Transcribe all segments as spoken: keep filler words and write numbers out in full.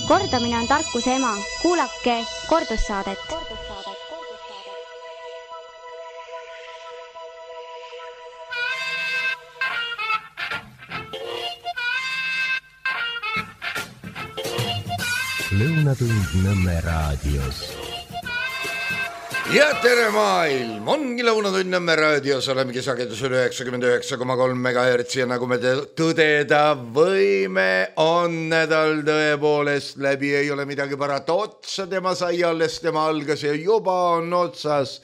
Kordamine on tarkuse ema. Kuulake kordussaadet. Lõunatund Nõmme raadios. Ja tere maailm, ongi Lõunatund Nõmme raadios, olemegi sagedusel üheksakümmend üheksa koma kolm megahertsi ja nagu me tõdeda võime, on nädal tõepoolest läbi, ei ole midagi parata, otsa tema sai alles, tema algas ja juba on otsas.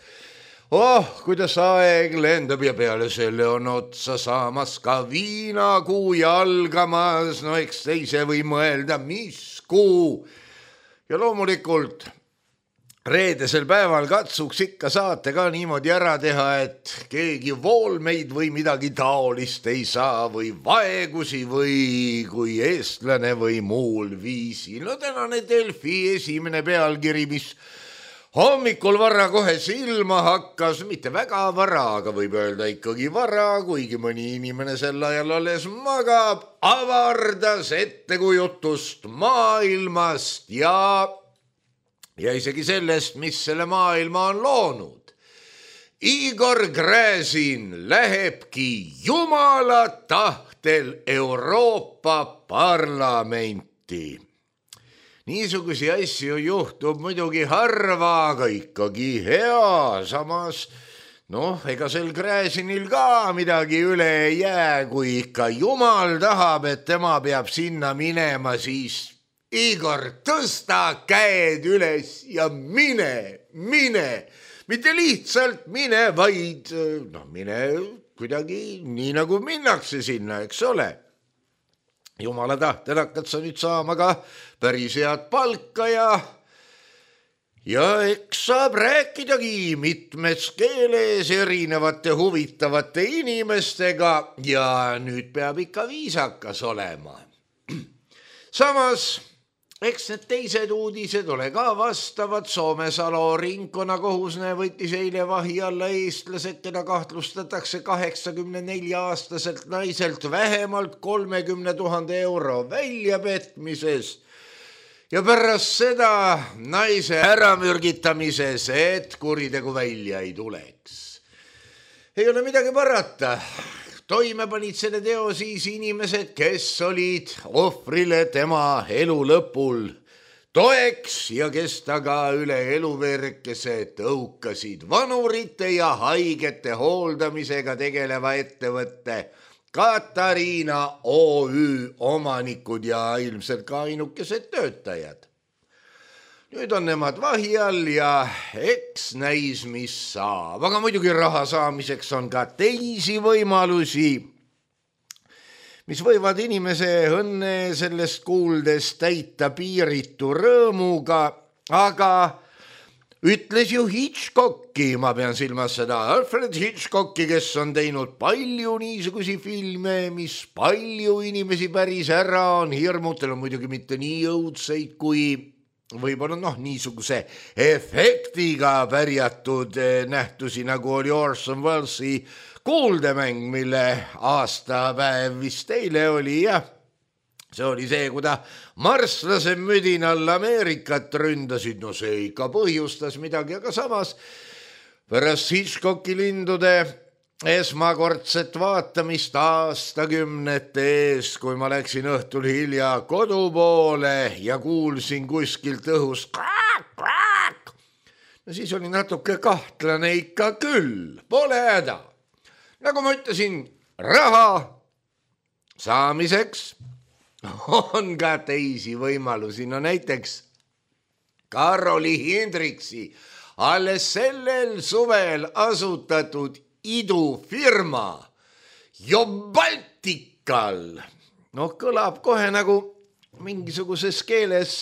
Oh, kuidas aeg lendab ja peale selle on otsa saamas ka viinakuu ja algamas, no eks teise või mõelda, mis kuu. Ja loomulikult reedesel päeval katsuks ikka saate ka niimoodi ära teha, et keegi voolmeid või midagi taolist ei saa või vaegusi või kui eestlane või muul viisil. No tänane Delfi esimene pealkiri, mis hommikul vara kohe silma hakkas, mitte väga vara, aga võib öelda ikkagi vara, kuigi mõni inimene sel ajal alles magab, avardas ettekujutust maailmast ja, ja isegi sellest, mis selle maailma on loonud. Igor Gräzin lähebki Jumala tahtel Euroopa Parlamenti. Niisugusi asju juhtub muidugi harva, aga ikkagi hea. Samas, noh, ega sel Gräzinil ka midagi üle ei jää, kui ikka Jumal tahab, et tema peab sinna minema, siis Igor, tõsta käed üles ja mine, mine. Mitte lihtsalt mine, vaid no, mine kuidagi nii nagu minnakse sinna, eks ole. Jumala tahtel hakkad sa nüüd saama ka päris head palka ja, ja eks saab rääkidagi mitmes keeles erinevate huvitavate inimestega ja nüüd peab ikka viisakas olema. Samas, eks need teised uudised ole ka vastavad. Soomesalo ringkonnakohusne võttis eile vahi alla eestlased, keda kahtlustatakse kaheksakümne nelja aastaselt naiselt vähemalt kolmekümne tuhande euro väljapetmises ja pärast seda naise äramürgitamises, et kuritegu välja ei tuleks. Ei ole midagi parata. Toime panid selle teo siis inimesed, kes olid ohvrile tema elu lõpul toeks ja kes taga üle eluverkese tõukasid vanurite ja haigete hooldamisega tegeleva ettevõtte Katariina O Ü omanikud ja ilmselt ka ainukesed töötajad. Nüüd on nemad vahi all ja eks näis, mis saab. Aga muidugi raha saamiseks on ka teisi võimalusi, mis võivad inimese õnne sellest kuuldes täita piiritu rõõmuga, aga ütles ju Hitchcocki, ma pean silmas seda Alfred Hitchcocki, kes on teinud palju niisugusi filme, mis palju inimesi päris ära on hirmutel, on muidugi mitte nii õudseid kui võib-olla noh, niisuguse efektiga pärjatud nähtusi, nagu oli Orson Wellesi Kuuldemäng, mille aastapäev vist eile oli ja see oli see, kui ta marslase müdinal Ameerikat ründasid. No see ikka põhjustas midagi, aga samas pärast Hitchcocki lindude esmakordset vaatamist aastakümnete ees, kui ma läksin õhtul hilja kodu poole ja kuulsin kuskilt õhus kraak, kraak. No siis oli natuke kahtlane ikka küll, pole häda. Nagu ma ütlesin, raha saamiseks on ka teisi võimalusi. No näiteks Karoli Hendriksi alles sellel suvel asutatud idufirma Jobaltikal. Noh, kõlab kohe nagu mingisuguses keeles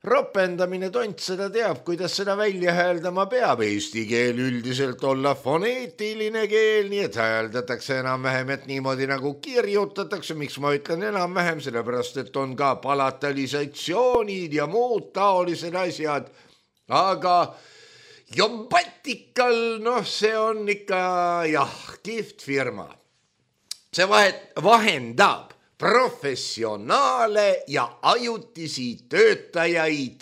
ropendamine, tont seda teab, kuidas seda välja hääldama peab. Eesti keel üldiselt olla foneetiline keel, nii et hääldatakse enam-vähem, et niimoodi nagu kirjutatakse. Miks ma ütlen enam-vähem? Sellepärast, et on ka palatalisatsioonid ja muud taolised asjad. Aga Jobaltikal, noh, see on ikka jah, kihvt firma. See vahet, vahendab professionaale ja ajutisi töötajaid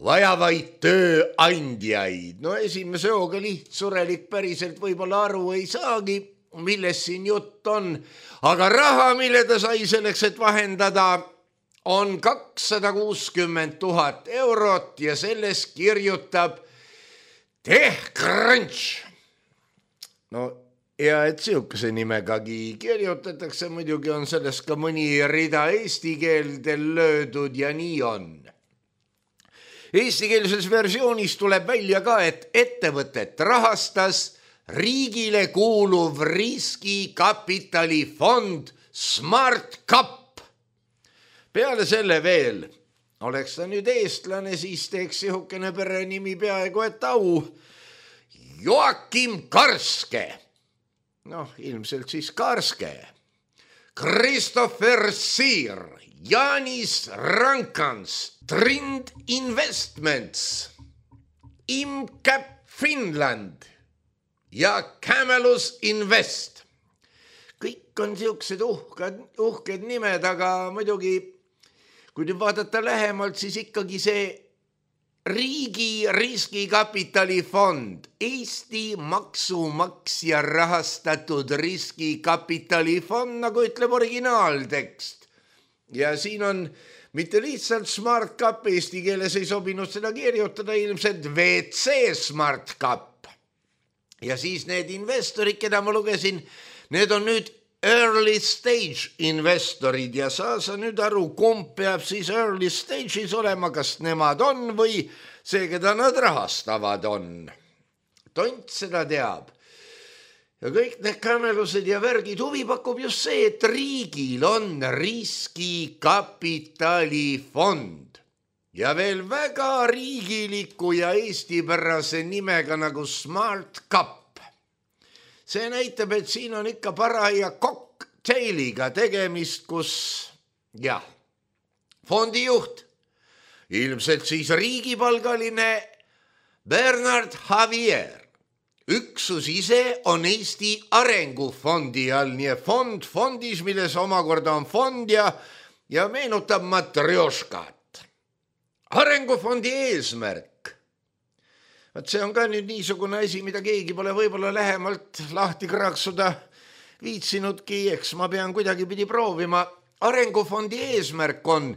vajavaid tööandjaid. No esimese hooga lihtsurelik päriselt võib-olla aru ei saagi, milles siin jutt on, aga raha, mille ta sai selleks, et vahendada, on kakssada kuuskümmend tuhat eurot ja selles kirjutab TechCrunch. No ja et sihukese nimegagi kirjutatakse, muidugi on selles ka mõni rida eesti keeldel löödud ja nii on. Eestikeelses versioonis tuleb välja ka, et ettevõtet rahastas riigile kuuluv riskikapitalifond SmartCap. Peale selle veel, oleks ta nüüd eestlane, siis teeks sihukene perenimi peaaegu et au. Joakim Karske, noh ilmselt siis Karske, Christopher Siir, Jaanis Rankans, Trind Investments, ImCap Finland ja Camelus Invest. Kõik on siuksed uhked, uhked nimed, aga muidugi, kui nüüd vaadata lähemalt, siis ikkagi see riigi riskikapitalifond, Eesti maksumaksja rahastatud riskikapitalifond, nagu ütleb originaaltekst. Ja siin on mitte lihtsalt SmartCap, eesti keeles ei sobinud seda kirjutada, ilmselt V C SmartCap. Ja siis need investorid, keda ma lugesin, need on nüüd early stage investorid ja saa sa nüüd aru, kumb peab siis early stage'is olema, kas nemad on või see, keda nad rahastavad on. Tont seda teab. Ja kõik need kamelused ja värgid huvi pakub just see, et riigil on riskikapitalifond ja veel väga riigiliku ja eestipärase nimega nagu SmartCap. See näitab, et siin on ikka paraja cocktailiga tegemist, kus jah, fondijuht, ilmselt siis riigipalgaline Bernard Javier. Üksus ise on Eesti Arengufondi all, nii fond fondis, milles omakorda on fond ja, ja meenutab matrjoškat. Arengufondi eesmärk. Vaat see on ka nüüd niisugune asi, mida keegi pole võib-olla lähemalt lahti kraaksuda viitsinudki, eks ma pean kuidagi pidi proovima. Arengufondi eesmärk on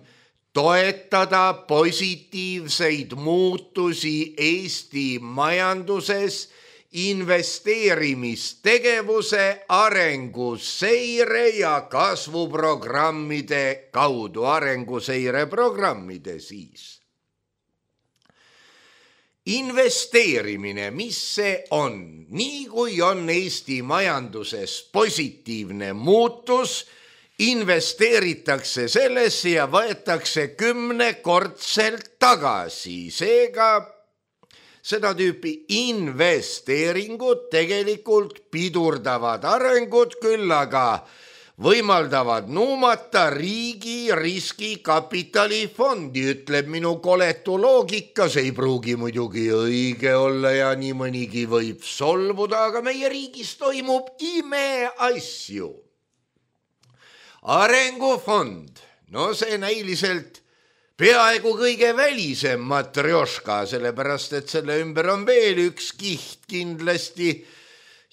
toetada positiivseid muutusi Eesti majanduses, investeerimistegevuse, arenguseire ja kasvuprogrammide kaudu, arenguseire programmide siis. Investeerimine, mis see on? Nii kui on Eesti majanduses positiivne muutus, investeeritakse sellesse ja võetakse kümnekordselt tagasi. Seega seda tüüpi investeeringud tegelikult pidurdavad arengut, küll aga võimaldavad nuumata riigi riskikapitalifondi, ütleb minu koletu loogika, see ei pruugi muidugi õige olla ja nii mõnigi võib solvuda, aga meie riigis toimub imeasju. Arengufond, no see näiliselt peaaegu kõige välisem matrjoška, sellepärast et selle ümber on veel üks kiht kindlasti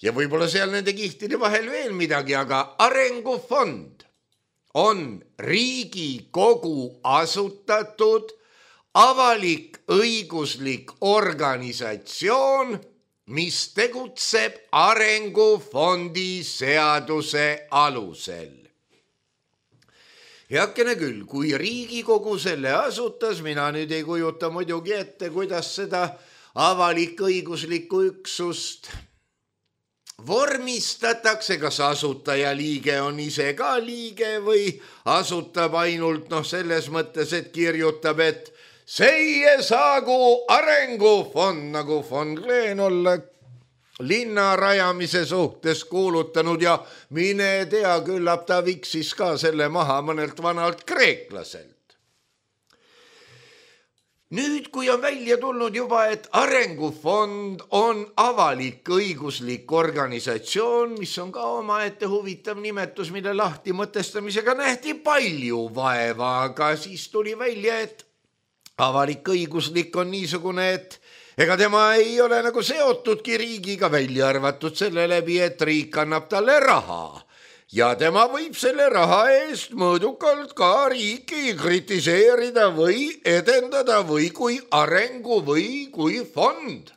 ja võib-olla seal nende kihtide vahel veel midagi, aga arengufond on Riigikogu asutatud avalik õiguslik organisatsioon, mis tegutseb arengufondi seaduse alusel. Heakene küll, kui Riigikogu selle asutas, mina nüüd ei kujuta muidugi ette, kuidas seda avalik õiguslikku üksust vormistatakse, kas asutaja liige on ise ka liige või asutab ainult noh selles mõttes, et kirjutab, et seie saagu arengufond, nagu von Kleen olla linna rajamise suhtes kuulutanud ja mine tea, küllap ta viksis ka selle maha mõnelt vanalt kreeklaselt. nüüd, kui on välja tulnud juba, et Arengufond on avalik-õiguslik organisatsioon, mis on ka omaette huvitav nimetus, mille lahti mõtestamisega nähti palju vaeva, aga siis tuli välja, et avalik-õiguslik on niisugune, et ega tema ei ole nagu seotudki riigiga, välja arvatud selle läbi, et riik annab talle raha. Ja tema võib selle raha eest mõõdukalt ka riiki kritiseerida või edendada või kui arengu või kui fond.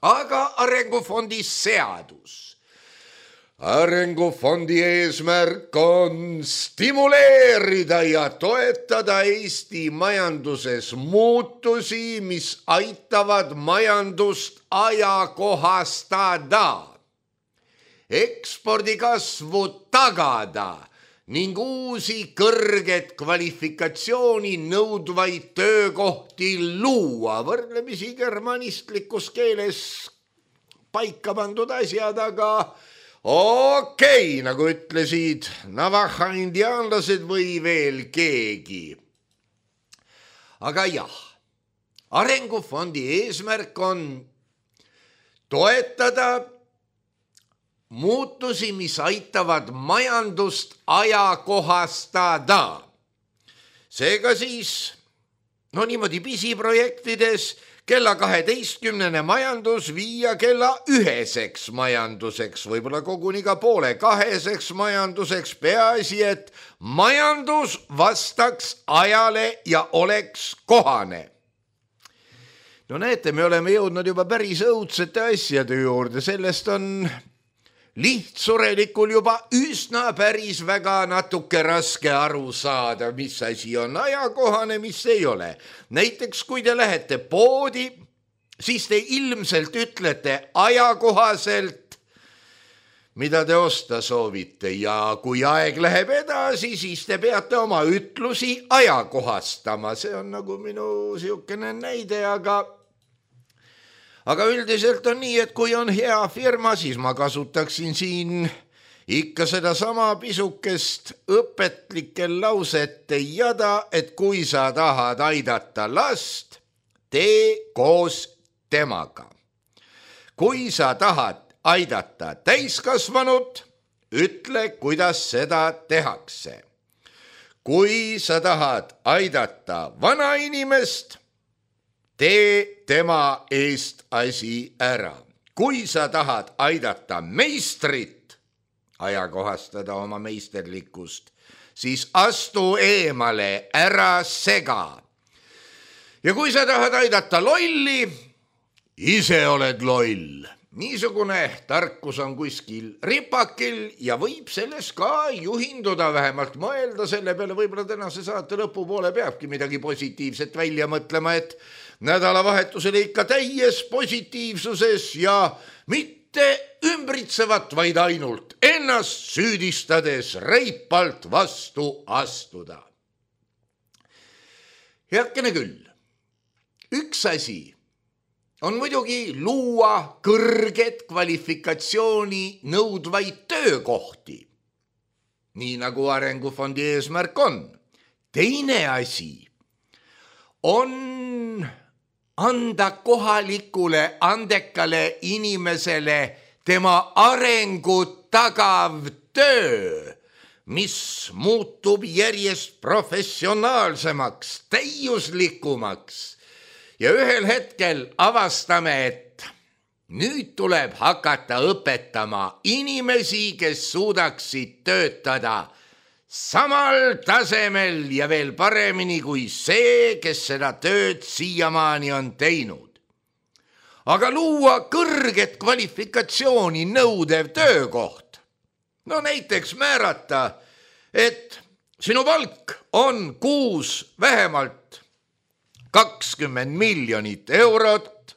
Aga Arengufondi seadus. Arengufondi eesmärk on stimuleerida ja toetada Eesti majanduses muutusi, mis aitavad majandust ajakohastada, ekspordi kasvu tagada ning uusi kõrget kvalifikatsiooni nõudvaid töökohti luua. Võrdlemisi germanistlikus keeles paika pandud asjad, aga okei, okay, nagu ütlesid Navaja indiaanlased või veel keegi. Aga jah, Arengufondi eesmärk on toetada muutusi, mis aitavad majandust ajakohastada. Seega siis, no niimoodi pisiprojektides, kella kaheteistkümnene majandus viia kella üheseks majanduseks, võib-olla koguni ka poole kaheseks majanduseks, peaasi, et majandus vastaks ajale ja oleks kohane. No näete, me oleme jõudnud juba päris õudsete asjade juurde, sellest on lihtsurelikul juba üsna päris väga natuke raske aru saada, mis asi on ajakohane, mis ei ole. Näiteks, kui te lähete poodi, siis te ilmselt ütlete ajakohaselt, mida te osta soovite, ja kui aeg läheb edasi, siis te peate oma ütlusi ajakohastama. See on nagu minu siukene näide, aga Aga üldiselt on nii, et kui on hea firma, siis ma kasutaksin siin ikka seda sama pisukest õpetlikel lausete jada, et kui sa tahad aidata last, tee koos temaga. Kui sa tahad aidata täiskasvanut, ütle, kuidas seda tehakse. Kui sa tahad aidata vanainimest, tee tema eest asi ära. Kui sa tahad aidata meistrit, ajakohastada oma meisterlikkust, siis astu eemale, ära sega. Ja kui sa tahad aidata lolli, ise oled loll. Niisugune tarkus on kuskil ripakil ja võib selles ka juhinduda, vähemalt mõelda selle peale. Võib-olla tänase saate lõpupoole peabki midagi positiivset välja mõtlema, et nädalavahetusele ikka täies positiivsuses ja mitte ümbritsevat, vaid ainult ennast süüdistades reipalt vastu astuda. Heakene küll, üks asi on muidugi luua kõrget kvalifikatsiooni nõudvaid töökohti, nii nagu Arengufondi eesmärk on. Teine asi on anda kohalikule andekale inimesele tema arengut tagav töö, mis muutub järjest professionaalsemaks, täiuslikumaks. Ja ühel hetkel avastame, et nüüd tuleb hakata õpetama inimesi, kes suudaksid töötada samal tasemel ja veel paremini kui see, kes seda tööd siiamaani on teinud. Aga luua kõrget kvalifikatsiooni nõudev töökoht. No näiteks määrata, et sinu palk on kuus vähemalt kakskümmend miljonit eurot.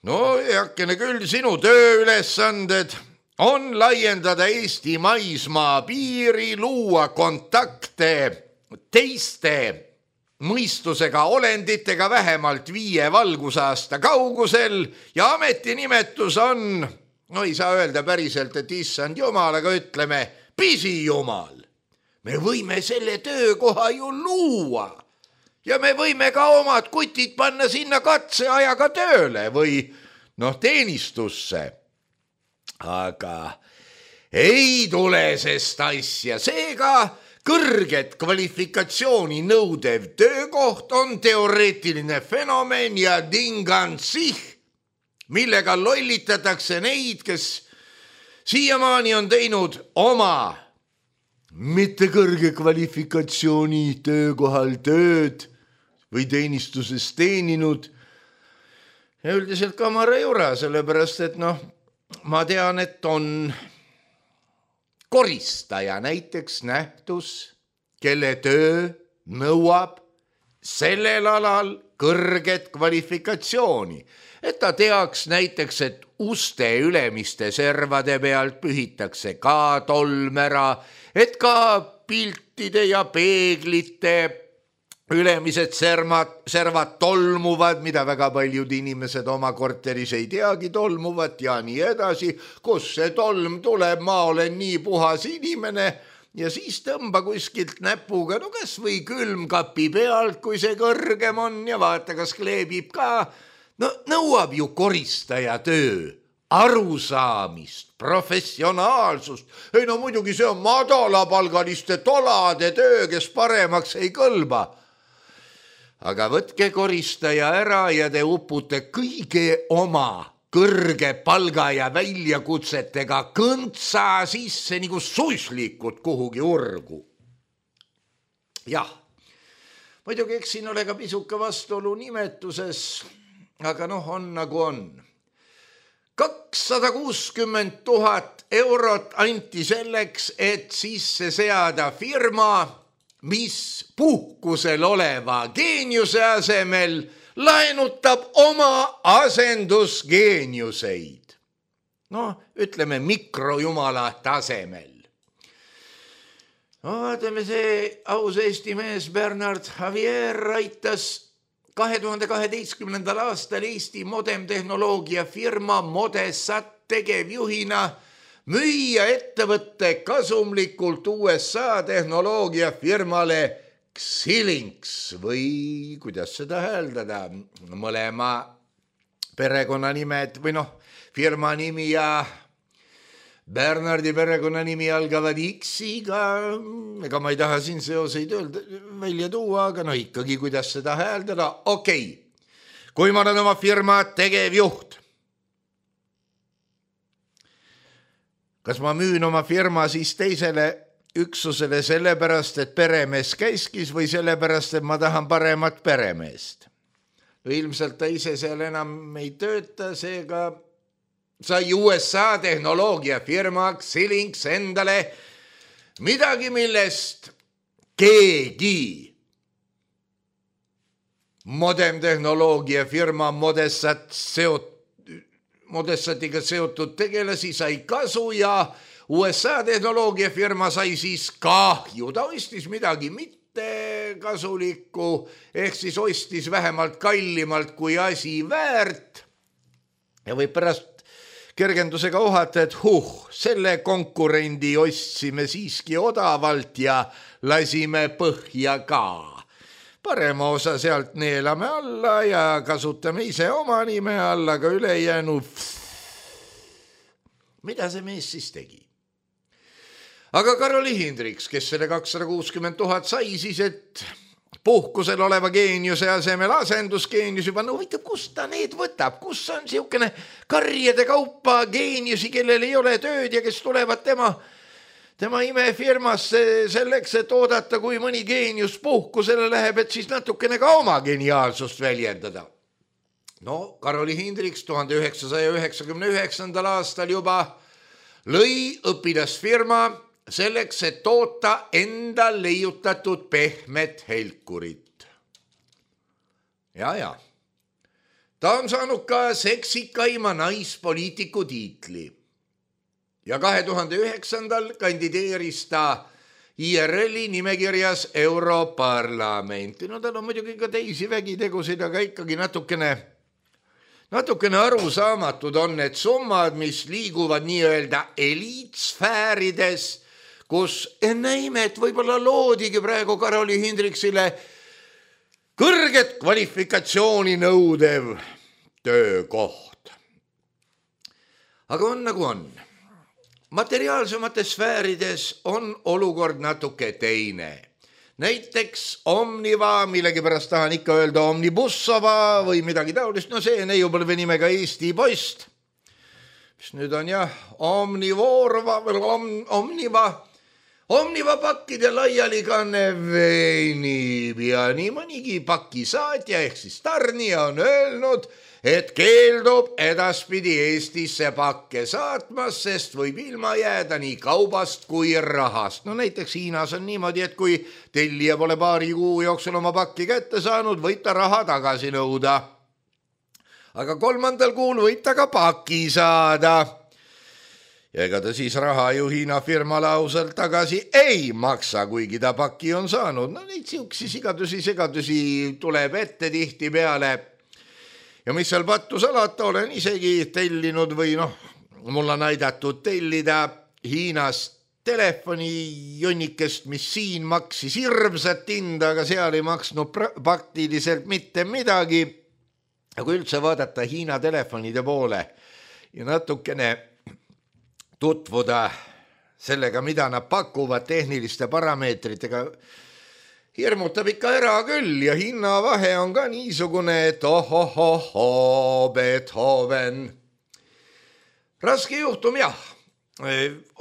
No heakene küll, sinu tööülesanded on laiendada Eesti maismaa piiri, luua kontakte teiste mõistusega olenditega vähemalt viie valgusaasta kaugusel ja ametinimetus on, no ei saa öelda päriselt, et issand jumal, aga ütleme pisijumal. Me võime selle töökoha ju luua. ja me võime ka omad kutid panna sinna katseajaga tööle või noh, teenistusse. Aga ei tule sest asja, seega kõrget kvalifikatsiooni nõudev töökoht on teoreetiline fenomen ja dingansih, millega lollitatakse neid, kes siiamaani on teinud oma mitte kõrge kvalifikatsiooni töökohal tööd või teenistuses teeninud ja üldiselt kamara jura, sellepärast et noh, ma tean, et on koristaja näiteks nähtus, kelle töö nõuab sellel alal kõrget kvalifikatsiooni, et ta teaks näiteks, et uste ülemiste servade pealt pühitakse ka tolm ära, et ka piltide ja peeglite ülemised servad, servad tolmuvad, mida väga paljud inimesed oma korteris ei teagi tolmuvat ja nii edasi. Kus see tolm tuleb, ma olen nii puhas inimene ja siis tõmba kuskilt näpuga, no kas või külmkapi pealt, kui see kõrgem on ja vaata, kas kleebib ka. No nõuab ju koristaja töö, arusaamist, professionaalsust. Ei no muidugi see on madalapalgaliste tolade töö, kes paremaks ei kõlba. Aga võtke koristaja ära ja te upute kõige oma kõrge palga ja väljakutsetega kõntsa sisse nagu suislikud kuhugi urgu. Jah, muidugi eks siin ole ka pisuka vastuolu nimetuses, aga noh, on nagu on. kakssada kuuskümmend tuhat eurot anti selleks, et sisse seada firma, mis puhkusel oleva geeniuse asemel laenutab oma asendusgeeniuseid. No, ütleme mikrojumala tasemel. No, vaatame see aus Eesti mees Bernard Javier aitas kahe tuhande kaheteistkümnendal aastal Eesti modemtehnoloogia firma Modesat tegevjuhina müüa ettevõtte kasumlikult U S A tehnoloogia firmale Xilinx või kuidas seda hääldada, mõlema perekonnanimed või noh, firma nimi ja Bernardi perekonnanimi algavad X-iga, ega ma ei taha siin seoseid öelda, välja tuua, aga no ikkagi, kuidas seda hääldada, okei, okay. Kui ma olen oma firma tegevjuht, kas ma müün oma firma siis teisele üksusele sellepärast, et peremees käiskis või sellepärast, et ma tahan paremat peremeest? Ilmselt ta ise seal enam ei tööta, seega sai U S A tehnoloogia firma Xilinx endale midagi, millest keegi modemtehnoloogia firma Modesat seot, Modesatiga seotud tegelasi sai kasu ja U S A tehnoloogia firma sai siis kahju. Ta ostis midagi mitte kasulikku, ehk siis ostis vähemalt kallimalt kui asi väärt. Ja võib pärast kergendusega ohata, et huh, selle konkurendi ostsime siiski odavalt ja lasime põhja ka. Parema osa sealt neelame alla ja kasutame ise oma nime alla, aga ülejäänu. Mida see mees siis tegi? Aga Karoli Hindriks, kes selle kakssada kuuskümmend tuhat sai siis, et puhkusel oleva geeniuse asemel asendusgeenius juba, no võitab, kust ta need võtab, kus on siukene karjade kaupa geeniusi, kellel ei ole tööd ja kes tulevad tema, tema imefirmasse selleks, et oodata, kui mõni geenius puhkusele läheb, et siis natukene ka oma geniaalsust väljendada. No, Karoli Hindriks tuhande üheksasaja üheksakümne üheksandal aastal juba lõi õpilasfirma selleks, et toota enda leiutatud pehmet helkurit. Ja, ja. Ta on saanud ka seksikaima naispoliitiku tiitli. Ja kahe tuhande üheksandal kandideeris ta I R L-i nimekirjas Europarlamenti. No tal on muidugi ka teisi vägitegusid, aga ikkagi natukene, natukene arusaamatud on need summad, mis liiguvad nii-öelda eliitsfäärides, kus enne imet võib-olla loodigi praegu Karoli Hindriksile kõrget kvalifikatsiooni nõudev töökoht. Aga on nagu on. Materiaalsemates sfäärides on olukord natuke teine. Näiteks Omniva, millegipärast tahan ikka öelda Omnibussova või midagi taolist, no see neiupõlve nimega Eesti Post, mis nüüd on jah Omnivorva või om, Omniva, Omniva pakkide laialikanne veenib ja nii mõnigi pakisaatja ehk siis tarnija on öelnud, et keeldub edaspidi Eestisse pakke saatmas, sest võib ilma jääda nii kaubast kui rahast. No näiteks Hiinas on niimoodi, et kui tellija pole paari kuu jooksul oma pakki kätte saanud, võib ta raha tagasi nõuda. Aga kolmandal kuul võib ta ka paki saada. Ja ega ta siis raha ju Hiina firmale ausalt tagasi ei maksa, kuigi ta paki on saanud. No neid siuksi sigadusi, segadusi tuleb ette tihti peale. Ja mis seal pattu salata, olen isegi tellinud või noh, mul on aidatud tellida Hiinas telefoni jonnikest, mis siin maksis hirmsat hinda, aga seal ei maksnud praktiliselt mitte midagi. Ja kui üldse vaadata Hiina telefonide poole ja natukene tutvuda sellega, mida nad pakuvad tehniliste parameetritega, hirmutab ikka ära küll ja hinnavahe on ka niisugune, et ohohoho, Beethoven. Raske juhtum jah.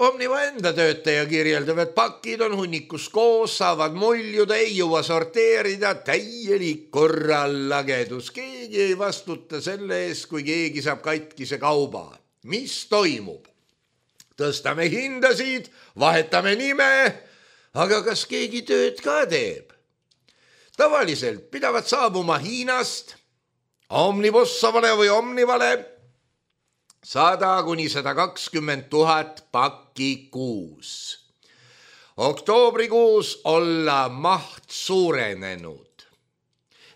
Omniva enda töötaja kirjeldab, et pakid on hunnikus koos, saavad muljuda, ei jõua sorteerida, täielik korrallagedus. Keegi ei vastuta selle eest, kui keegi saab katkise kauba. Mis toimub? Tõstame hindasid, vahetame nime, aga kas keegi tööd ka teeb? Tavaliselt pidavad saabuma Hiinast Omnibussovale või Omnivale sada kuni sada kakskümmend tuhat pakki kuus. Oktoobrikuus olla maht suurenenud.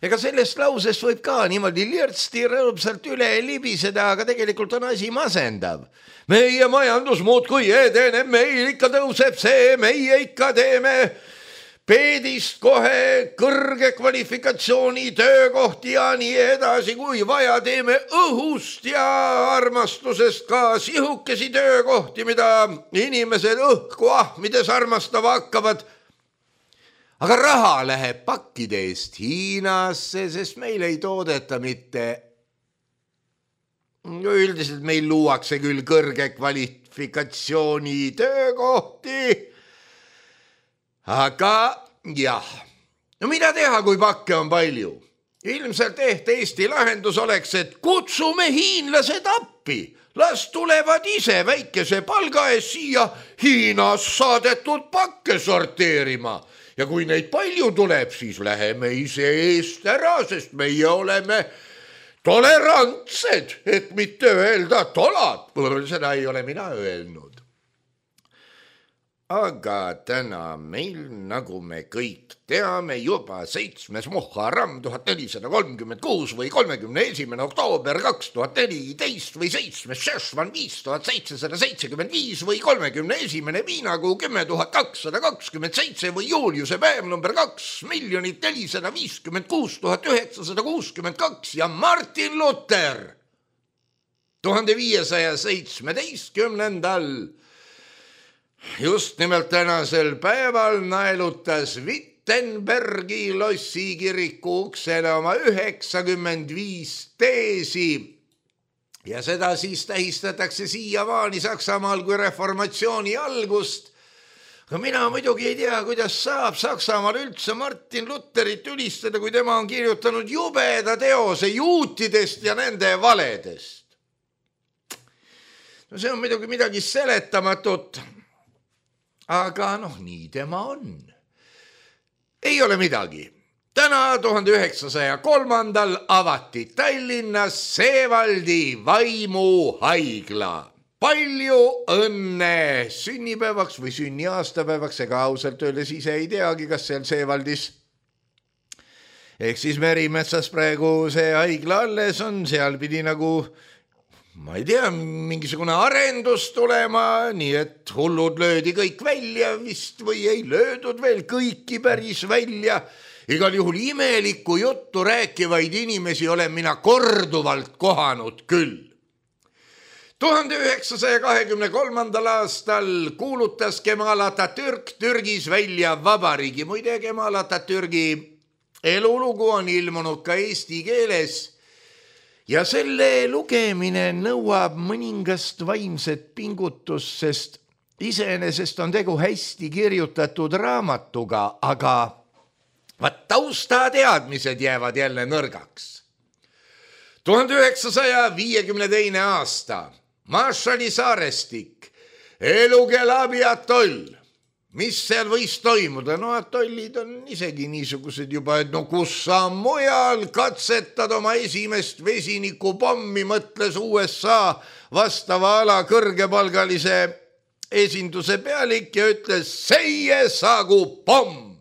Ega sellest lausest võib ka niimoodi lirtsti rõõmsalt üle libiseda, aga tegelikult on asi masendav. Meie majandus muudkui edeneb, meil ikka tõuseb see, meie ikka teeme peedist kohe kõrge kvalifikatsiooni töökohti ja nii edasi, kui vaja teeme õhust ja armastusest ka sihukesi töökohti, mida inimesed õhku ahmides armastava hakkavad. Aga raha läheb pakkide eest Hiinasse, sest meil ei toodeta mitte. Üldiselt meil luuakse küll kõrge kvalifikatsiooni töökohti, aga jah, no mida teha, kui pakke on palju? Ilmselt ehk Eesti lahendus oleks, et kutsume hiinlased appi, las tulevad ise väikese palga ees siia Hiinas saadetud pakke sorteerima. Ja kui neid palju tuleb, siis läheme ise eest ära, sest meie oleme tolerantsed, et mitte öelda tolad. Seda ei ole mina öelnud. Aga täna meil, nagu me kõik teame, juba seitsmes Muharram tuhat nelisada kolmkümmend kuus või kolmekümne esimene oktoober kaks tuhat neliteist või seitsmes Šešvan viis tuhat seitsesada seitsekümmend viis või kolmekümne esimene viinakuu kümme tuhat kakssada kakskümmend seitse või juuliuse päev number kaks miljonit nelisada viiskümmend kuus tuhat üheksasada kuuskümmend kaks ja Martin Luther tuhande viiesaja seitsmeteistkümnendal just nimelt tänasel päeval naelutas Wittenbergi lossi kiriku uksele oma üheksakümmend viis teesi ja seda siis tähistatakse siiamaani Saksamaal kui reformatsiooni algust. Aga mina muidugi ei tea, kuidas saab Saksamaal üldse Martin Lutherit ülistada, kui tema on kirjutanud jubeda teose juutidest ja nende valedest. No see on muidugi midagi seletamatut. Aga noh, nii tema on. Ei ole midagi. Täna tuhande üheksasaja kolmandal avati Tallinnas Seevaldi vaimuhaigla. Palju õnne sünnipäevaks või sünniaastapäevaks, ega ausalt öeldes ise ei teagi, kas seal Seevaldis. Ehk siis Merimetsas praegu see haigla alles on, seal pidi nagu ma ei tea, mingisugune arendus tulema, nii et hullud löödi kõik välja vist või ei löödud veel kõiki päris välja. Igal juhul imelikku juttu rääkivaid inimesi olen mina korduvalt kohanud küll. tuhande üheksasaja kahekümne kolmandal aastal kuulutas Kemal Atatürk Türgis välja vabariigi. Muide, Kemal Atatürgi elulugu on ilmunud ka eesti keeles ja selle lugemine nõuab mõningast vaimset pingutust, sest iseenesest on tegu hästi kirjutatud raamatuga, aga vaat taustateadmised jäävad jälle nõrgaks. tuhande üheksasaja viiekümne teine aasta, Marshalli saarestik, Elugelabi atoll. Mis seal võis toimuda? No atollid on isegi niisugused juba, et no kus sa mujal katsetad oma esimest vesinikupommi, mõtles U S A vastava ala kõrgepalgalise esinduse pealik ja ütles seie saagu pomm.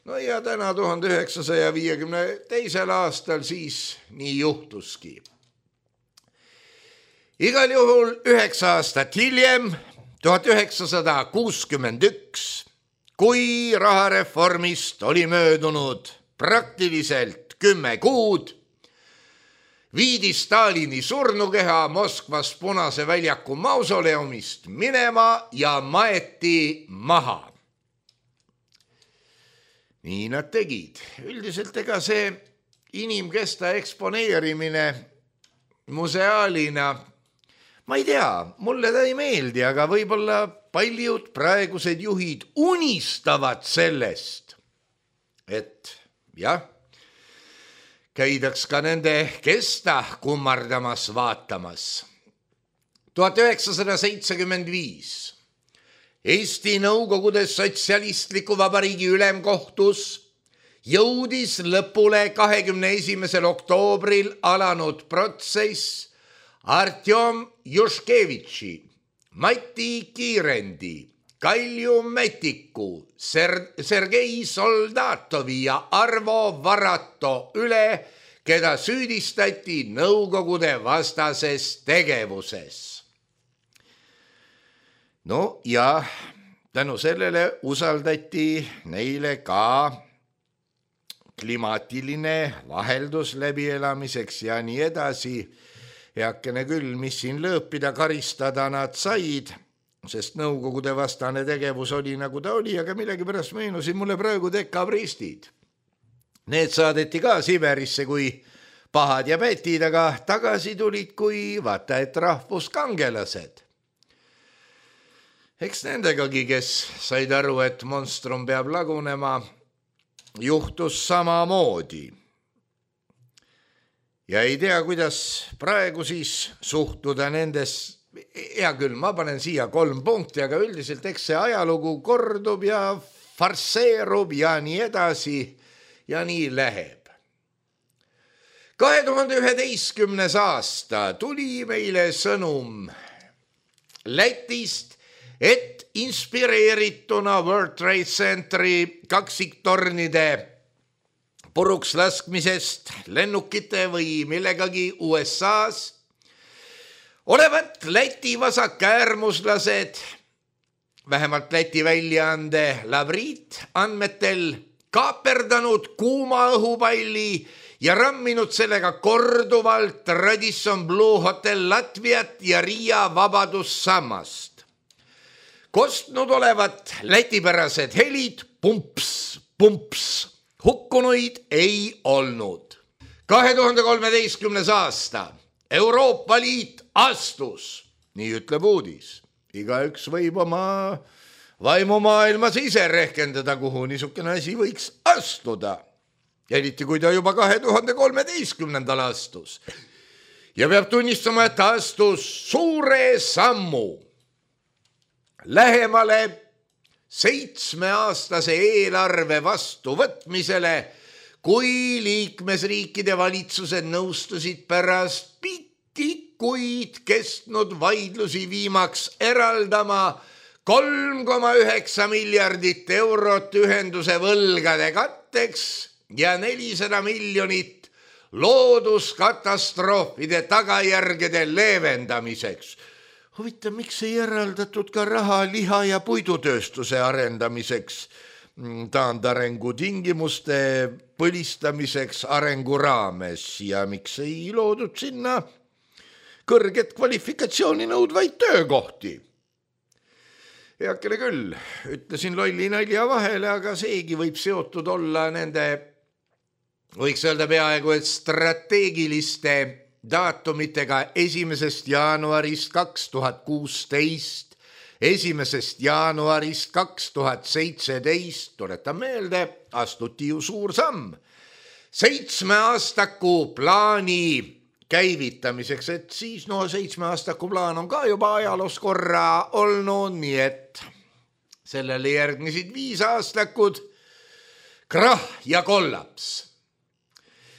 No ja täna tuhande üheksasaja viiekümne teisel aastal siis nii juhtuski. Igal juhul üheksa aastat hiljem, tuhat üheksasada kuuskümmend üks, kui rahareformist oli möödunud praktiliselt kümme kuud, viidi Stalini surnukeha Moskvas Punase väljaku mausoleumist minema ja maeti maha. Nii nad tegid. Üldiselt ega see inimkesta eksponeerimine museaalina, ma ei tea, mulle ta ei meeldi, aga võib-olla paljud praegused juhid unistavad sellest, et jah, käidaks ka nende kesta kummardamas vaatamas. tuhat üheksasada seitsekümmend viis Eesti Nõukogude Sotsialistliku Vabariigi Ülemkohtus jõudis lõpule kahekümne esimesel oktoobril alanud protsess Artjom Juškevitši, Mati Kiirendi, Kalju Metiku, Ser- Sergei Soldatovi ja Arvo Varato üle, keda süüdistati Nõukogude vastases tegevuses. No ja tänu sellele usaldati neile ka klimaatiline vaheldus läbielamiseks ja nii edasi. Heakene küll, mis siin lõõpida, karistada nad said, sest Nõukogude vastane tegevus oli nagu ta oli, aga millegipärast meenusid mulle praegu dekabristid. Need saadeti ka Siberisse kui pahad ja pätid, aga tagasi tulid kui vaata et rahvuskangelased. Eks nendegagi, kes said aru, et monstrum peab lagunema, juhtus samamoodi. Ja ei tea, kuidas praegu siis suhtuda nendes, hea küll, ma panen siia kolm punkti, aga üldiselt eks see ajalugu kordub ja farseerub ja nii edasi ja nii läheb. kahe tuhande üheteistkümnes aasta tuli meile sõnum Lätist, et inspireerituna World Trade Centeri kaksiktornide puruks laskmisest lennukite või millegagi U S A-s olevat Läti vasakäärmuslased, vähemalt Läti väljaande Lavrit andmetel, kaaperdanud kuuma õhupalli ja ramminud sellega korduvalt Radisson Blue Hotel Latviat ja Riia Vabadussammast. Kostnud olevat lätipärased helid, pumps, pumps, hukkunuid ei olnud. kahe tuhande kolmeteistkümnes aasta Euroopa Liit astus, nii ütleb uudis. Igaüks võib oma vaimumaailmas ise rehkendada, kuhu niisugune asi võiks astuda. Eriti kui ta juba kahe tuhande kolmeteistkümnendal astus. Ja peab tunnistama, et astus suure sammu lähemale seitsmeaastase eelarve vastuvõtmisele, kui liikmesriikide valitsused nõustusid pärast pikki kuid kestnud vaidlusi viimaks eraldama kolm koma üheksa miljardit eurot ühenduse võlgade katteks ja nelisada miljonit looduskatastroofide tagajärgede leevendamiseks. Huvitav, miks ei eraldatud ka raha liha- ja puidutööstuse arendamiseks? taandarengu tingimuste põlistamiseks arengu raames ja miks ei loodud sinna kõrget kvalifikatsiooni nõudvaid töökohti. Heakene küll, ütlesin lolli nalja vahele, aga seegi võib seotud olla nende, võiks öelda peaaegu, et strateegiliste daatumitega esimesest jaanuarist kaks tuhat kuusteist, esimesest jaanuarist kaks tuhat seitseteist, tuletan meelde, astuti ju suur samm seitsme aastaku plaani käivitamiseks, et siis no seitsme aastaku plaan on ka juba ajaloos korra olnud, nii et sellele järgnesid viis aastakud krah ja kollaps.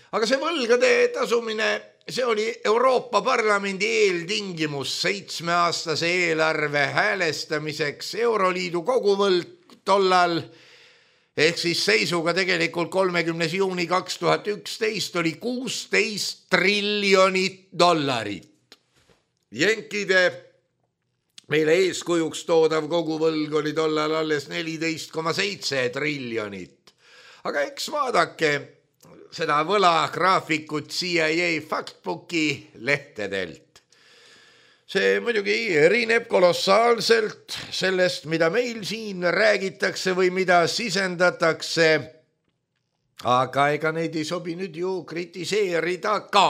Aga see võlgade tasumine, see oli Euroopa Parlamendi eeltingimus seitsmeaastase eelarve häälestamiseks. Euroliidu koguvõlg tollal ehk siis seisuga tegelikult kolmekümnes juuni kaks tuhat üksteist oli kuusteist triljonit dollarit. Jenkide meile eeskujuks toodav koguvõlg oli tollal alles neliteist koma seitse triljonit. Aga eks vaadake seda võlagraafikut C I A Factbooki lehtedelt. See muidugi erineb kolossaalselt sellest, mida meil siin räägitakse või mida sisendatakse, aga ega neid ei sobi nüüd ju kritiseerida ka.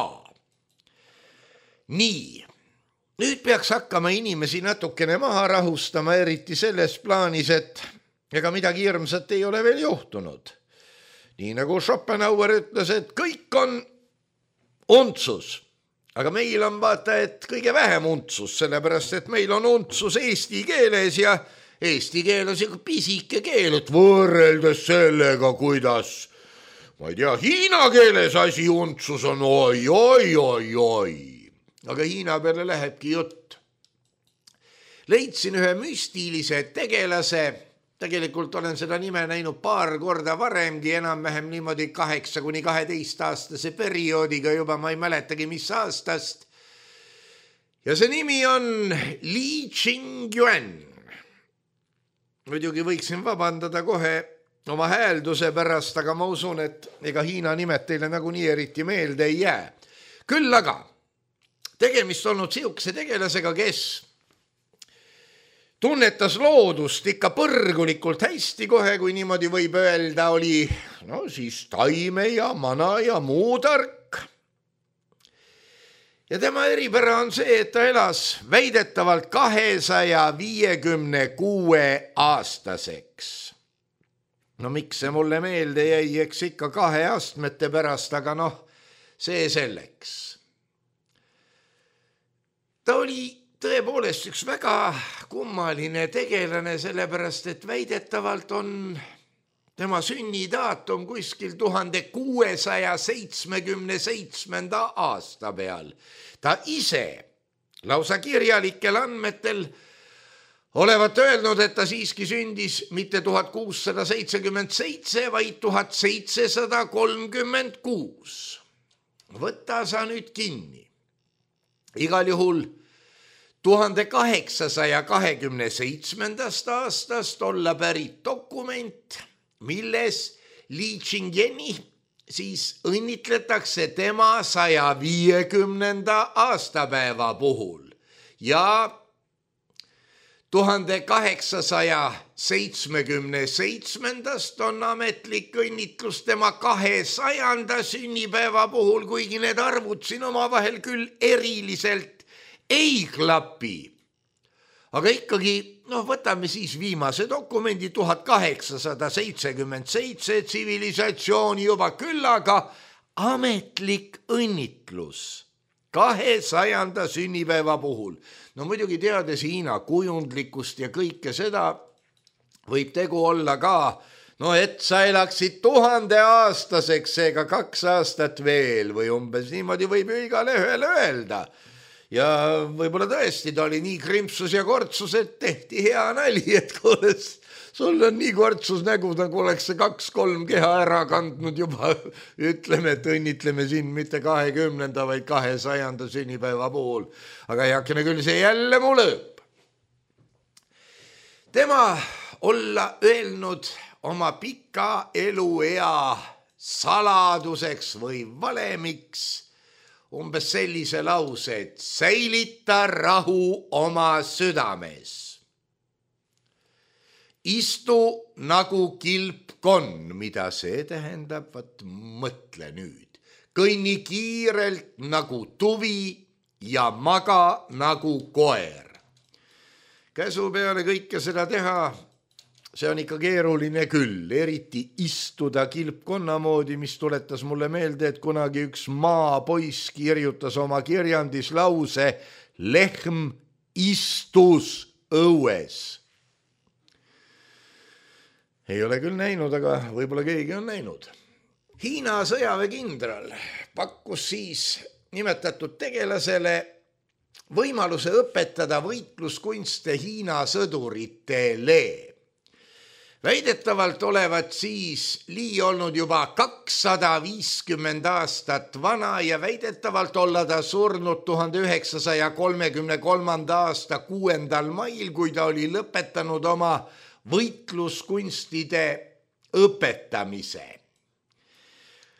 Nii, nüüd peaks hakkama inimesi natukene maha rahustama, eriti selles plaanis, et ega midagi hirmsat ei ole veel juhtunud. Nii nagu Schopenhauer ütles, et kõik on untsus. Aga meil on vaata, et kõige vähem untsus, sellepärast, et meil on untsus eesti keeles ja eesti keel on siuke pisike keel, et võrreldes sellega, kuidas, ma ei tea, hiina keeles asi untsus on oi, oi, oi, oi. Aga hiina peale lähebki jutt. Leidsin ühe müstilise tegelase, tegelikult olen seda nime näinud paar korda varemgi, enam-vähem niimoodi kaheksa kuni kaheteist aastase perioodiga juba, ma ei mäletagi, mis aastast. Ja see nimi on Li Qingyuan. Muidugi võiksin vabandada kohe oma häälduse pärast, aga ma usun, et ega Hiina nimed teile nagu nii eriti meelde ei jää. Küll aga tegemist olnud siukse tegelasega, kes tunnetas loodust ikka põrgulikult hästi kohe, kui niimoodi võib öelda, oli no siis taime ja mana ja muu tark. Ja tema eripära on see, et ta elas väidetavalt kahesaja viiekümne kuue aastaseks. No miks see mulle meelde jäi, eks ikka kahe astmete pärast, aga noh, see selleks. Ta oli tõepoolest üks väga kummaline tegelane, sellepärast, et väidetavalt on tema sünnidaatum kuskil tuhande kuuesaja seitsmekümne seitsmenda aasta peal. Ta ise lausa kirjalikel andmetel olevat öelnud, et ta siiski sündis mitte tuhat kuussada seitsekümmend seitse, vaid tuhat seitsesada kolmkümmend kuus. Võta sa nüüd kinni. Igal juhul tuhande kaheksasaja kahekümne seitsmendast aastast olla pärit dokument, milles Li Qingyuani siis õnnitletakse tema saja viiekümnenda aastapäeva puhul ja tuhande kaheksasaja seitsmekümne seitsmendast on ametlik õnnitlus tema kahesajanda sünnipäeva puhul, kuigi need arvud siin omavahel küll eriliselt ei klapi. Aga ikkagi, noh, võtame siis viimase dokumendi tuhat kaheksasada seitsekümmend seitse tsivilisatsiooni juba küll, aga ametlik õnnitlus kahesajanda sünnipäeva puhul. No muidugi teades Hiina kujundlikkust ja kõike seda võib tegu olla ka, no et sa elaksid tuhande aastaseks, seega kaks aastat veel või umbes niimoodi võib ju igale ühele öelda. Ja võib-olla tõesti ta oli nii krimpsus ja kortsus, et tehti hea nali, et kuule, sul on nii kortsus nägu, nagu oleks see kaks-kolm keha ära kandnud juba. Ütleme, et õnnitleme siin mitte kahekümnenda, vaid kahesajanda sünnipäeva puhul. Aga heakene küll see jälle mu lõõb. Tema olla öelnud oma pika eluea saladuseks või valemiks umbes sellise lause, et säilita rahu oma südames. Istu nagu kilpkonn, mida see tähendab, vaat mõtle nüüd. Kõnni kiirelt nagu tuvi ja maga nagu koer. Käsu peale kõike seda teha, see on ikka keeruline küll, eriti istuda kilpkonna moodi, mis tuletas mulle meelde, et kunagi üks maapoiss kirjutas oma kirjandis lause lehm istus õues. Ei ole küll näinud, aga võib-olla keegi on näinud. Hiina sõjaväekindral pakkus siis nimetatud tegelasele võimaluse õpetada võitluskunste Hiina sõduritele. Väidetavalt olevat siis Li olnud juba kakssada viiskümmend aastat vana ja väidetavalt olla ta surnud tuhande üheksasaja kolmekümne kolmanda aasta kuuendal mail, kui ta oli lõpetanud oma võitluskunstide õpetamise.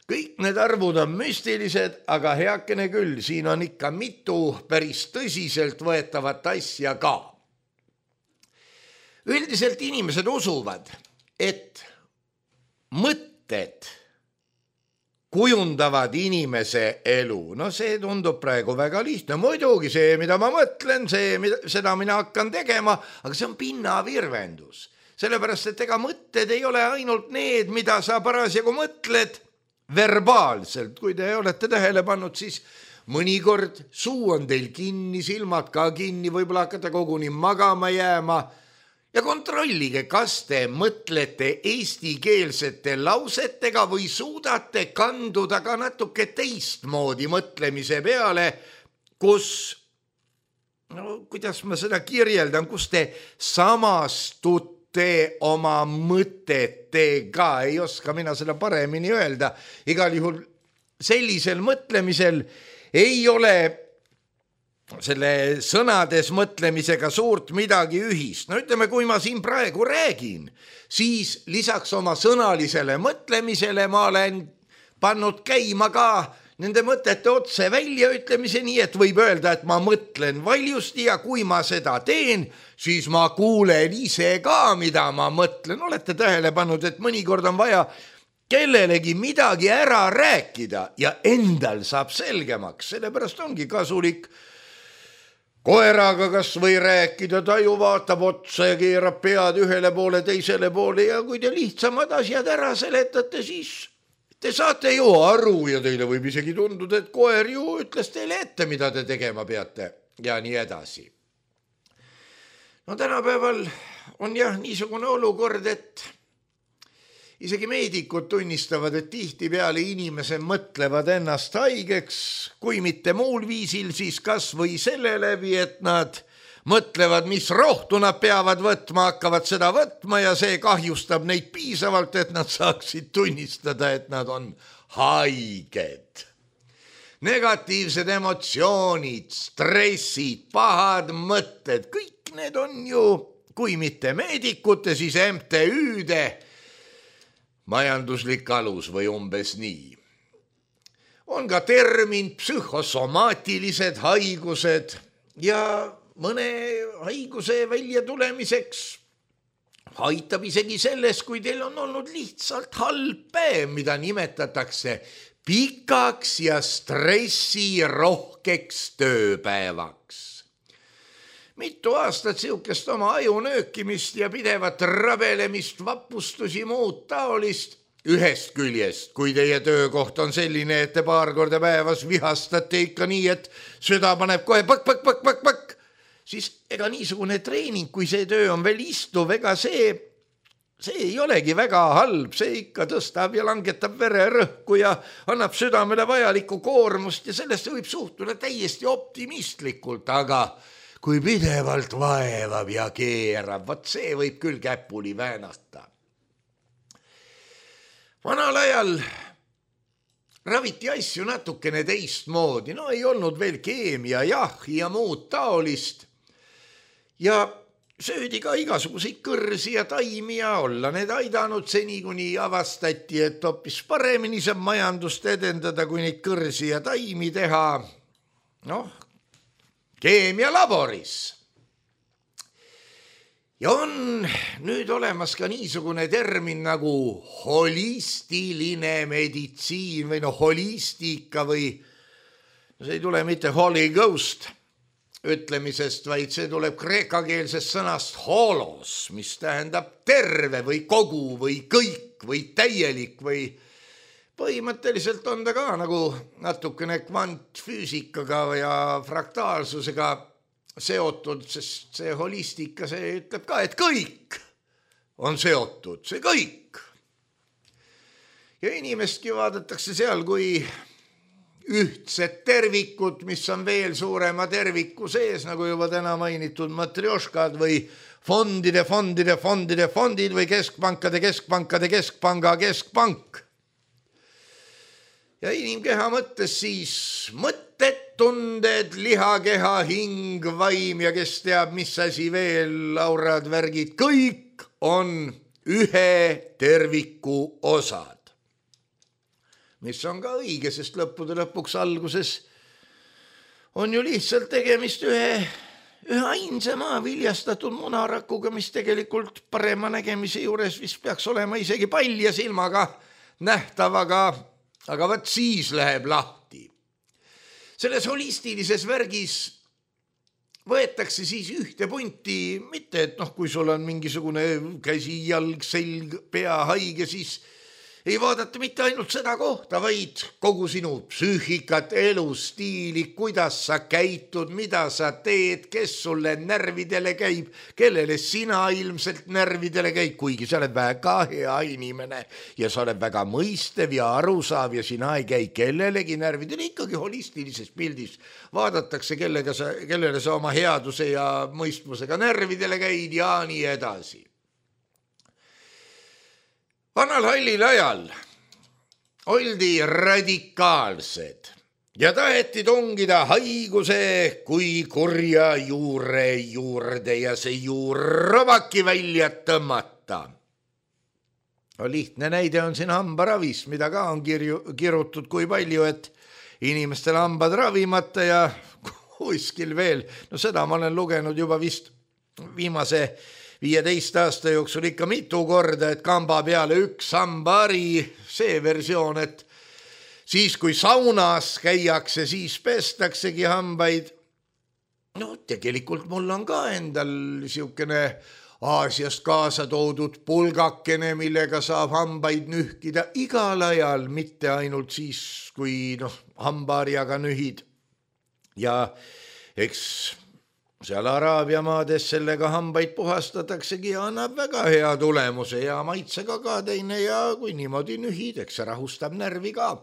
Kõik need arvud on müstilised, aga heakene küll, siin on ikka mitu päris tõsiselt võetavat asja ka. Üldiselt inimesed usuvad, et mõtted kujundavad inimese elu. No see tundub praegu väga lihtne. Muidugi see, mida ma mõtlen, see, seda mina hakkan tegema, aga see on pinnavirvendus. Sellepärast, et ega mõtted ei ole ainult need, mida sa parasjagu mõtled verbaalselt. Kui te olete tähele pannud, siis mõnikord suu on teil kinni, silmad ka kinni, võib-olla hakkate koguni magama jääma. Ja kontrollige, kas te mõtlete eestikeelsete lausetega või suudate kanduda ka natuke teistmoodi mõtlemise peale, kus, no kuidas ma seda kirjeldan, kus te samastute oma mõtetega, ei oska mina seda paremini öelda. Igal juhul sellisel mõtlemisel ei ole selle sõnades mõtlemisega suurt midagi ühist. No ütleme, kui ma siin praegu räägin, siis lisaks oma sõnalisele mõtlemisele ma olen pannud käima ka nende mõtete otse välja ütlemise, nii et võib öelda, et ma mõtlen valjusti ja kui ma seda teen, siis ma kuulen ise ka, mida ma mõtlen. Olete tähele pannud, et mõnikord on vaja kellelegi midagi ära rääkida ja endal saab selgemaks. Sellepärast ongi kasulik koeraga kas või rääkida, ta ju vaatab otsa ja keerab pead ühele poole, teisele poole ja kui te lihtsamad asjad ära seletate, siis te saate ju aru ja teile võib isegi tunduda, et koer ju ütles teile ette, mida te tegema peate ja nii edasi. No tänapäeval on jah niisugune olukord, et isegi meedikud tunnistavad, et tihtipeale inimesed mõtlevad ennast haigeks, kui mitte muul viisil, siis kas või selle läbi, et nad mõtlevad, mis rohtu nad peavad võtma, hakkavad seda võtma ja see kahjustab neid piisavalt, et nad saaksid tunnistada, et nad on haiged. Negatiivsed emotsioonid, stressid, pahad mõtted, kõik need on ju, kui mitte meedikute, siis M T Ü-de majanduslik alus või umbes nii. On ka termin psühhosomaatilised haigused ja mõne haiguse välja tulemiseks aitab isegi selles, kui teil on olnud lihtsalt halb päev, mida nimetatakse pikaks ja stressirohkeks tööpäevaks. Mitu aastat siukest oma aju nöökimist ja pidevat rabelemist, vapustusi, muud taolist. Ühest küljest, kui teie töökoht on selline, et te paar korda päevas vihastate ikka nii, et süda paneb kohe pakk, pakk, pakk, pakk, pakk, siis ega niisugune treening, kui see töö on veel istuv, ega see, see ei olegi väga halb, see ikka tõstab ja langetab vererõhku ja annab südamele vajalikku koormust ja sellesse võib suhtuda täiesti optimistlikult, aga kui pidevalt vaevab ja keerab, vaat see võib küll käpuli väänata. Vanal ajal raviti asju natukene teistmoodi, no ei olnud veel keemia, jah, ja muud taolist. Ja söödi ka igasuguseid kõrsi ja taimi ja olla need aidanud seni, kuni avastati, et hoopis paremini saab majandust edendada, kui neid kõrsi ja taimi teha, noh, keemialaboris. Ja on nüüd olemas ka niisugune termin nagu holistiline meditsiin või no holistika või no see ei tule mitte Holy Ghost ütlemisest, vaid see tuleb kreekakeelsest sõnast holos, mis tähendab terve või kogu või kõik või täielik või põhimõtteliselt on ta ka nagu natukene kvantfüüsikaga ja fraktaalsusega seotud, sest see holistika, see ütleb ka, et kõik on seotud, see kõik. Ja inimestki vaadatakse seal kui ühtset tervikut, mis on veel suurema terviku sees, nagu juba täna mainitud matrjoškad või fondide, fondide, fondide, fondid või keskpankade, keskpankade, keskpanga, keskpank. Ja inimkeha mõttes siis mõtted, tunded, lihakeha, hing, vaim ja kes teab, mis asi veel, laurad, värgid, kõik on ühe terviku osad. Mis on ka õige, sest lõppude lõpuks alguses on ju lihtsalt tegemist ühe, ühe ainsa maa viljastatud munarakuga, mis tegelikult parema nägemise juures vist peaks olema isegi palja silmaga nähtavaga, aga võt siis läheb lahti. Selles holistilises värgis võetakse siis ühte punti, mitte et noh, kui sul on mingisugune käsi, jalg, selg, pea haige, siis ei vaadata mitte ainult seda kohta, vaid kogu sinu psüühikat, elustiili, kuidas sa käitud, mida sa teed, kes sulle närvidele käib, kellele sina ilmselt närvidele käib, kuigi sa oled väga hea inimene ja sa oled väga mõistev ja arusaav ja sina ei käi kellelegi närvidele, ikkagi holistilises pildis vaadatakse, kellega sa, kellele sa oma headuse ja mõistmusega närvidele käid ja nii edasi. Vanal hallil ajal oldi radikaalsed ja taheti tungida haiguse kui kurja juure juurde ja see juur robaki välja tõmmata. Lihtne näide on siin hambaravist, mida ka on kirju, kirutud kui palju, et inimestel hambad ravimata ja kuskil veel. No seda ma olen lugenud juba vist viimase viieteist aasta jooksul ikka mitu korda, et kamba peale üks hambari, see versioon, et siis kui saunas käiakse, siis pestaksegi hambaid. No tegelikult mul on ka endal siukene Aasiast kaasa toodud pulgakene, millega saab hambaid nühkida igal ajal, mitte ainult siis, kui noh, hambaarjaga nühid. Ja eks seal Araabia maades sellega hambaid puhastataksegi ja annab väga hea tulemuse ja maitsega ka teine ja kui niimoodi nühid, eks see rahustab närvi ka.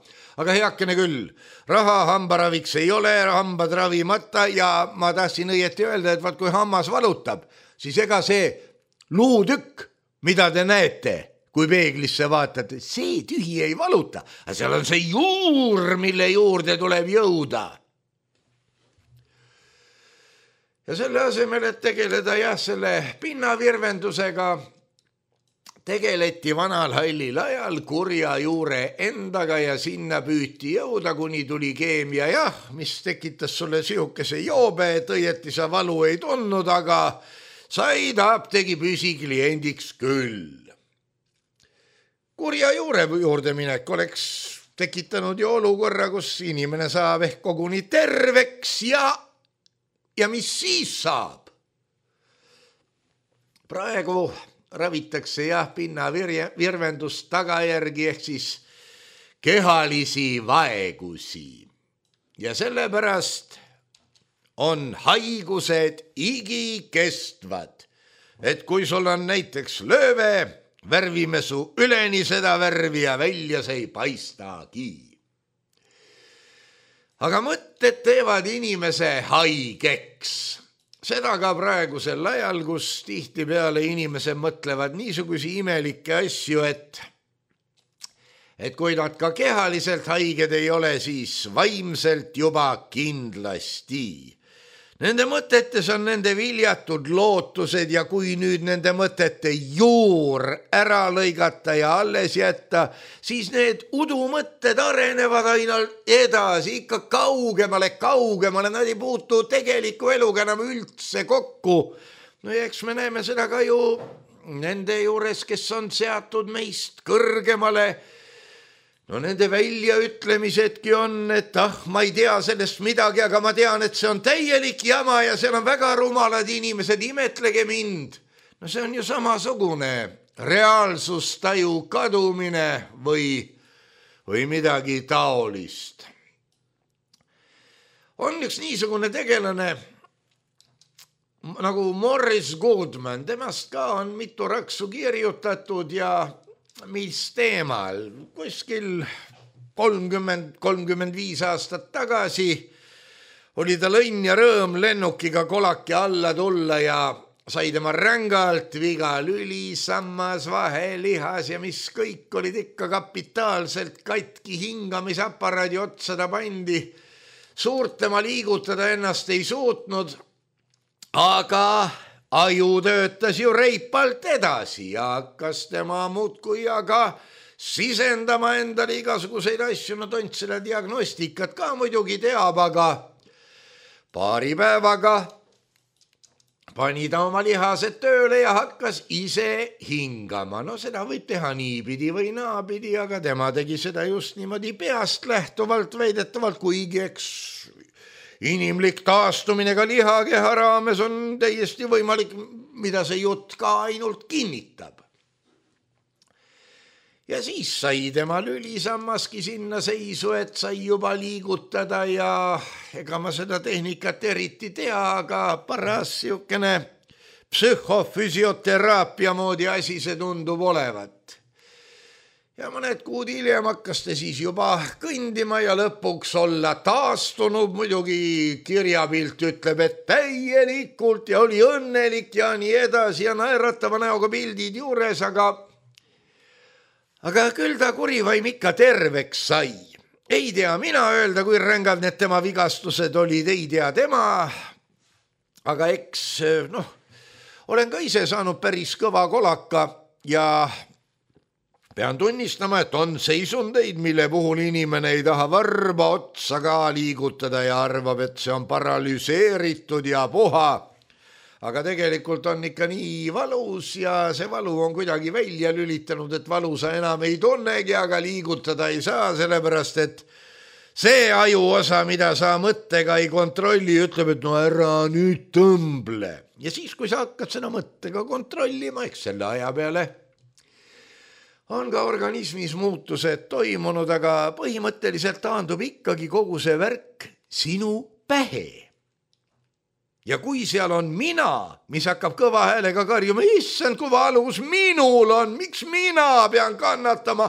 Aga heakene küll, raha hambaraviks ei ole, hambad ravimata ja ma tahtsin õieti öelda, et vaat kui hammas valutab, siis ega see luutükk, mida te näete, kui peeglisse vaatate, see tühi ei valuta, aga seal on see juur, mille juurde tuleb jõuda. Ja selle asemel, et tegeleda jah, selle pinnavirvendusega, tegeleti vanal hallil ajal kurja juure endaga ja sinna püüti jõuda, kuni tuli keemia, jah, mis tekitas sulle sihukese joobe, et õieti sa valu ei tundnud, aga said apteegi püsikliendiks küll. Kurja juure juurde minek oleks tekitanud ju olukorra, kus inimene saab ehk koguni terveks ja Ja mis siis saab? Praegu ravitakse jah pinna virvendust tagajärgi ehk siis kehalisi vaegusi. Ja sellepärast on haigused igikestvad. Et kui sul on näiteks lööve, värvime su üleni seda värvi ja välja see ei paistagi. Aga mõtted teevad inimese haigeks. Seda ka praegusel ajal, kus tihtipeale inimesed mõtlevad niisugusi imelikke asju, et, et kui nad ka kehaliselt haiged ei ole, siis vaimselt juba kindlasti. Nende mõtetes on nende viljatud lootused ja kui nüüd nende mõtete juur ära lõigata ja alles jätta, siis need udumõtted arenevad aina edasi, ikka kaugemale, kaugemale, nad ei puutu tegeliku eluga enam üldse kokku. No ja eks me näeme seda ka ju nende juures, kes on seatud meist kõrgemale. No nende väljaütlemisedki on, et ah, ma ei tea sellest midagi, aga ma tean, et see on täielik jama ja seal on väga rumalad inimesed, imetlege mind. No see on ju samasugune reaalsustaju kadumine või, või midagi taolist. On üks niisugune tegelane nagu Morris Goodman, temast ka on mitu raksu kirjutatud ja mis teemal, kuskil kolmkümmend, kolmkümmend viis aastat tagasi oli tal õnn ja rõõm lennukiga kolaki alla tulla ja sai tema rängalt viga lüli, sammas, vahelihas ja mis kõik olid ikka kapitaalselt katki, hingamisaparaadi otsa ta pandi. Suurt tema liigutada ennast ei suutnud, aga aju töötas ju reipalt edasi ja hakkas tema muudkui aga sisendama endale igasuguseid asju, no tont seda diagnostikat ka muidugi teab, aga paari päevaga pani ta oma lihased tööle ja hakkas ise hingama. No seda võib teha niipidi või naapidi, aga tema tegi seda just niimoodi peast lähtuvalt väidetavalt, kuigi eks inimlik taastumine ka lihakeha raames on täiesti võimalik, mida see jutt ka ainult kinnitab. Ja siis sai tema lülisammaski sinna seisu, et sai juba liigutada ja ega ma seda tehnikat eriti tea, aga paras siukene psühhofüsioteraapia moodi asi see tundub olevat. Ja mõned kuud hiljem hakkas ta siis juba kõndima ja lõpuks olla taastunud, muidugi kirjapilt ütleb, et täielikult ja oli õnnelik ja nii edasi ja naeratava näoga pildid juures, aga aga küll ta kurivaim ikka terveks sai. Ei tea mina öelda, kui rängad need tema vigastused olid, ei tea tema, aga eks noh, olen ka ise saanud päris kõva kolaka ja pean tunnistama, et on seisundeid, mille puhul inimene ei taha varba otsa ka liigutada ja arvab, et see on paralüseeritud ja puha. Aga tegelikult on ikka nii valus ja see valu on kuidagi välja lülitanud, et valu sa enam ei tunnegi, aga liigutada ei saa, sellepärast et see ajuosa, mida sa mõttega ei kontrolli, ütleb, et no ära nüüd tõmble. Ja siis, kui sa hakkad seda mõttega kontrollima, eks selle aja peale on ka organismis muutused toimunud, aga põhimõtteliselt taandub ikkagi kogu see värk sinu pähe. Ja kui seal on mina, mis hakkab kõva häälega karjuma, issand, kui valus minul on, miks mina pean kannatama,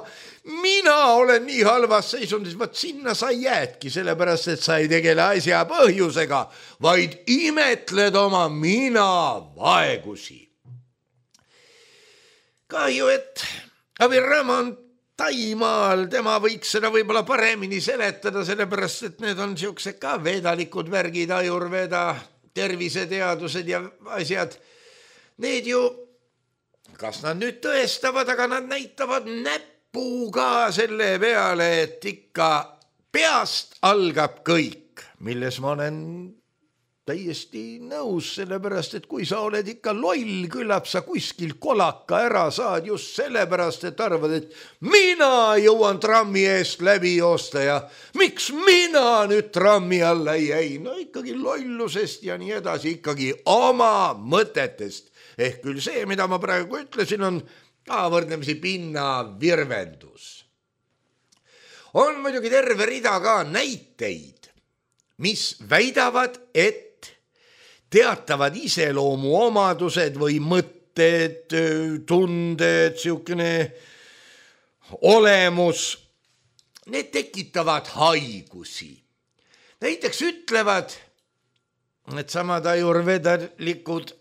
mina olen nii halvas seisundis, vaat sinna sa jäädki, sellepärast et sa ei tegele asja põhjusega, vaid imetled oma mina vaegusi. Kahju, et Abiram on Taimaal, tema võiks seda võib-olla paremini seletada, sellepärast et need on siuksed ka vedalikud värgid, ajurveda, terviseteadused ja asjad. Need ju, kas nad nüüd tõestavad, aga nad näitavad näpuga selle peale, et ikka peast algab kõik, milles ma olen täiesti nõus, sellepärast, et kui sa oled ikka loll, küllap sa kuskil kolaka ära saad just sellepärast, et arvad, et mina jõuan trammi eest läbi joosta ja miks mina nüüd trammi alla ei jäi? No ikkagi lollusest ja nii edasi, ikkagi oma mõtetest. Ehk küll see, mida ma praegu ütlesin, on ka võrdlemisi pinna virvendus. On muidugi terve rida ka näiteid, mis väidavad, et teatavad iseloomu omadused või mõtted, tunded, siukene olemus, need tekitavad haigusi. Näiteks ütlevad, et samad ajurvedalikud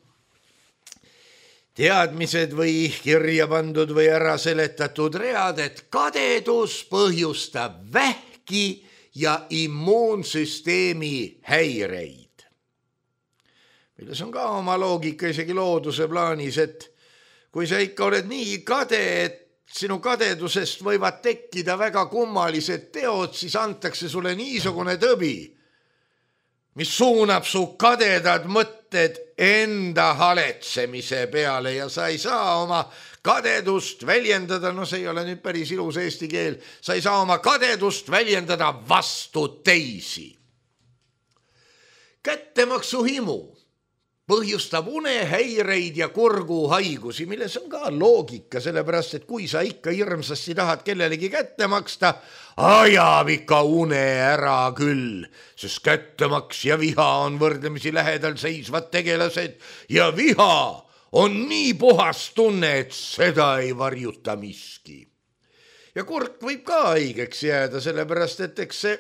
teadmised või kirja pandud või ära seletatud read, et kadedus põhjustab vähki ja immuunsüsteemi häireid. milles on ka oma loogika isegi looduse plaanis, et kui sa ikka oled nii kade, et sinu kadedusest võivad tekkida väga kummalised teod, siis antakse sulle niisugune tõbi, mis suunab su kadedad mõtted enda haletsemise peale ja sa ei saa oma kadedust väljendada, no see ei ole nüüd päris ilus eesti keel, sa ei saa oma kadedust väljendada vastu teisi. Kättemaksu himu põhjustab unehäireid ja kurguhaigusi, milles on ka loogika, sellepärast, et kui sa ikka hirmsasti tahad kellelegi kätte maksta, ajab ikka une ära küll, sest kättemaks ja viha on võrdlemisi lähedal seisvad tegelased ja viha on nii puhas tunne, et seda ei varjuta miski. Ja kurk võib ka haigeks jääda, sellepärast, et eks see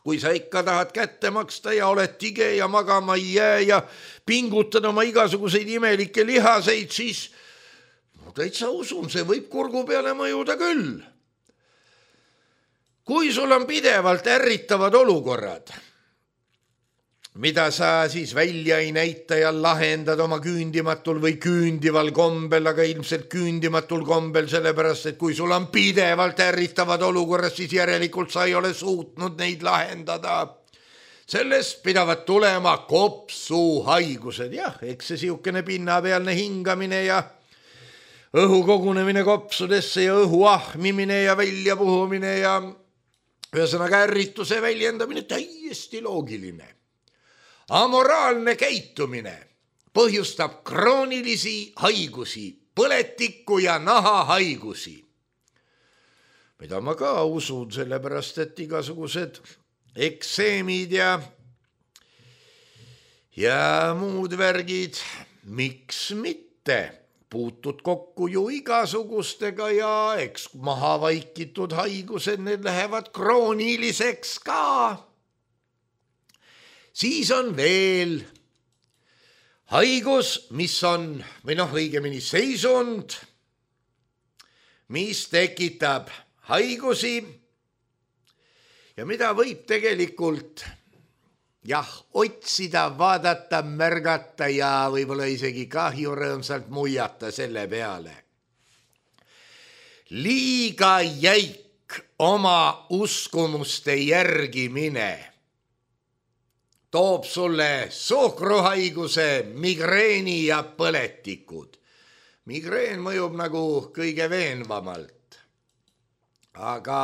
kui sa ikka tahad kätte maksta ja oled tige ja magama ei jää ja pingutad oma igasuguseid imelikke lihaseid, siis no, täitsa usun, see võib kurgu peale mõjuda küll. Kui sul on pidevalt ärritavad olukorrad, mida sa siis välja ei näita ja lahendad oma küündimatul või küündival kombel, aga ilmselt küündimatul kombel, sellepärast, et kui sul on pidevalt ärritavad olukorrad, siis järelikult sa ei ole suutnud neid lahendada. Sellest pidavad tulema kopsuhaigused. Jah, eks see siukene pinnapealne hingamine ja õhu kogunemine kopsudesse ja õhu ahmimine ja väljapuhumine ja ühesõnaga ärrituse väljendamine täiesti loogiline. Amoraalne käitumine põhjustab kroonilisi haigusi, põletikku ja nahahaigusi, mida ma ka usun, sellepärast, et igasugused ekseemid ja, ja muud värgid, miks mitte, puutud kokku ju igasugustega ja eks maha vaikitud haigused, need lähevad krooniliseks ka. Siis on veel haigus, mis on, või noh, õigemini seisund, mis tekitab haigusi ja mida võib tegelikult jah, otsida, vaadata, märgata ja võib-olla isegi kahju rõõmsalt muiata selle peale. Liiga jäik oma uskumuste järgimine toob sulle suhkruhaiguse, migreeni ja põletikud. Migreen mõjub nagu kõige veenvamalt. Aga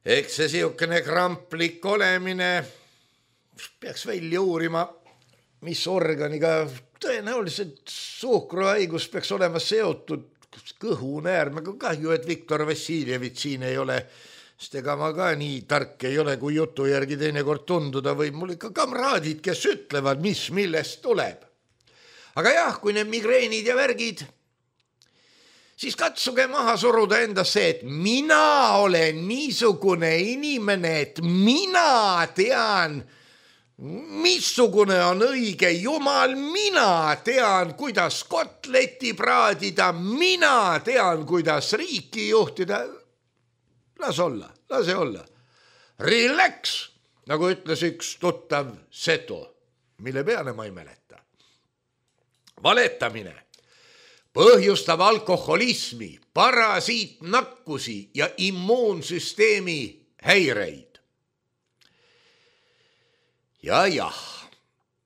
eks see siukene kramplik olemine peaks välja uurima, mis organiga tõenäoliselt suhkruhaigus peaks olema seotud kõhunäärmega. Kahju, et Viktor Vassiljevit siin ei ole, sest ega ma ka nii tark ei ole, kui jutu järgi teinekord tunduda või mul ikka kamraadid, kes ütlevad, mis millest tuleb. Aga jah, kui need migreenid ja värgid, siis katsuge maha suruda endas see, et mina olen niisugune inimene, et mina tean, missugune on õige jumal, mina tean, kuidas kotleti praadida, mina tean, kuidas riiki juhtida. Las olla, lase olla. Relax, nagu ütles üks tuttav seto, mille peale ma ei mäleta. Valetamine põhjustab alkoholismi, parasiitnakkusi ja immuunsüsteemi häireid. Ja jah,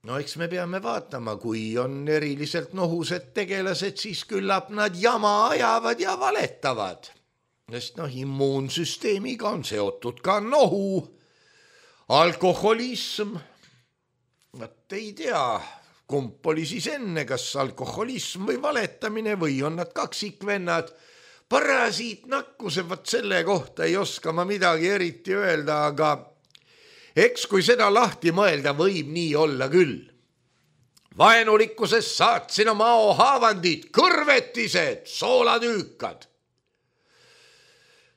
no eks me peame vaatama, kui on eriliselt nohused tegelased, siis küllap nad jama ajavad ja valetavad. Sest noh, immuunsüsteemiga on seotud ka nohu, alkoholism. Vaat ei tea, kump oli siis enne, kas alkoholism või valetamine või on nad kaksikvennad. Parasiitnakkuse, vaat selle kohta ei oska ma midagi eriti öelda, aga eks kui seda lahti mõelda, võib nii olla küll. Vaenulikkusest saatsin oma haavandid, kõrvetised, soolatüükad.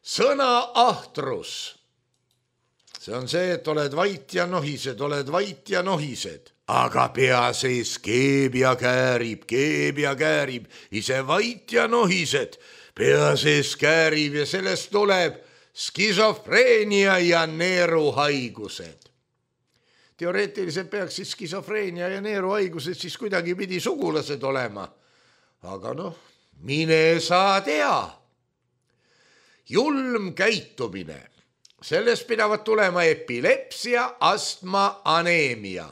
Sõna ahtrus. See on see, et oled vait ja nohised, oled vait ja nohised. Aga pea sees keeb ja käärib, keeb ja käärib, ise vait ja nohised. Pea sees käärib ja sellest tuleb skisofreenia ja neeruhaigused. teoreetiliselt peaks siis skisofreenia ja neeruhaigused siis kuidagi pidi sugulased olema. Aga noh, mine sa tea. Julm käitumine. Sellest pidavad tulema epilepsia, astma, aneemia.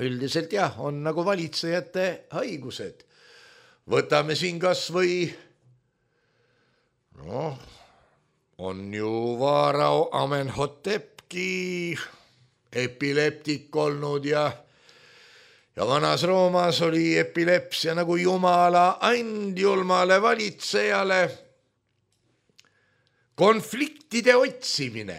Üldiselt jah, on nagu valitsejate haigused. Võtame siin kas või, noh, on ju Vaarao Amenhotepki epileptik olnud ja, ja vanas Roomas oli epilepsia nagu jumala andjulmale valitsejale. Konfliktide otsimine,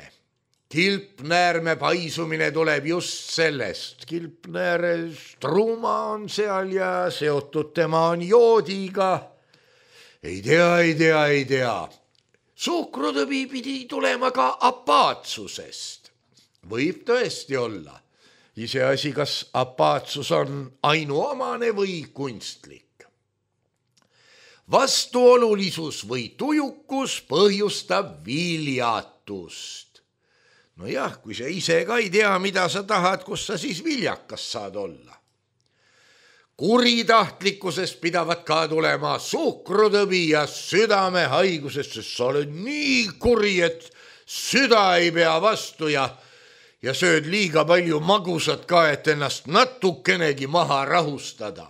kilpnäärme paisumine tuleb just sellest. Kilpnääre struuma on seal ja seotud tema on joodiga. Ei tea, ei tea, ei tea. Suhkrutõbi pidi tulema ka apaatsusest. Võib tõesti olla. Iseasi, kas apaatsus on ainuomane või kunstlik. Vastuolulisus või tujukus põhjustab viljatust. No jah, kui sa ise ka ei tea, mida sa tahad, kus sa siis viljakas saad olla. Kuritahtlikkusest pidavat ka tulema suhkrutõbi ja südamehaigusest, sest sa oled nii kuri, et süda ei pea vastu ja, ja sööd liiga palju magusat ka, et ennast natukenegi maha rahustada.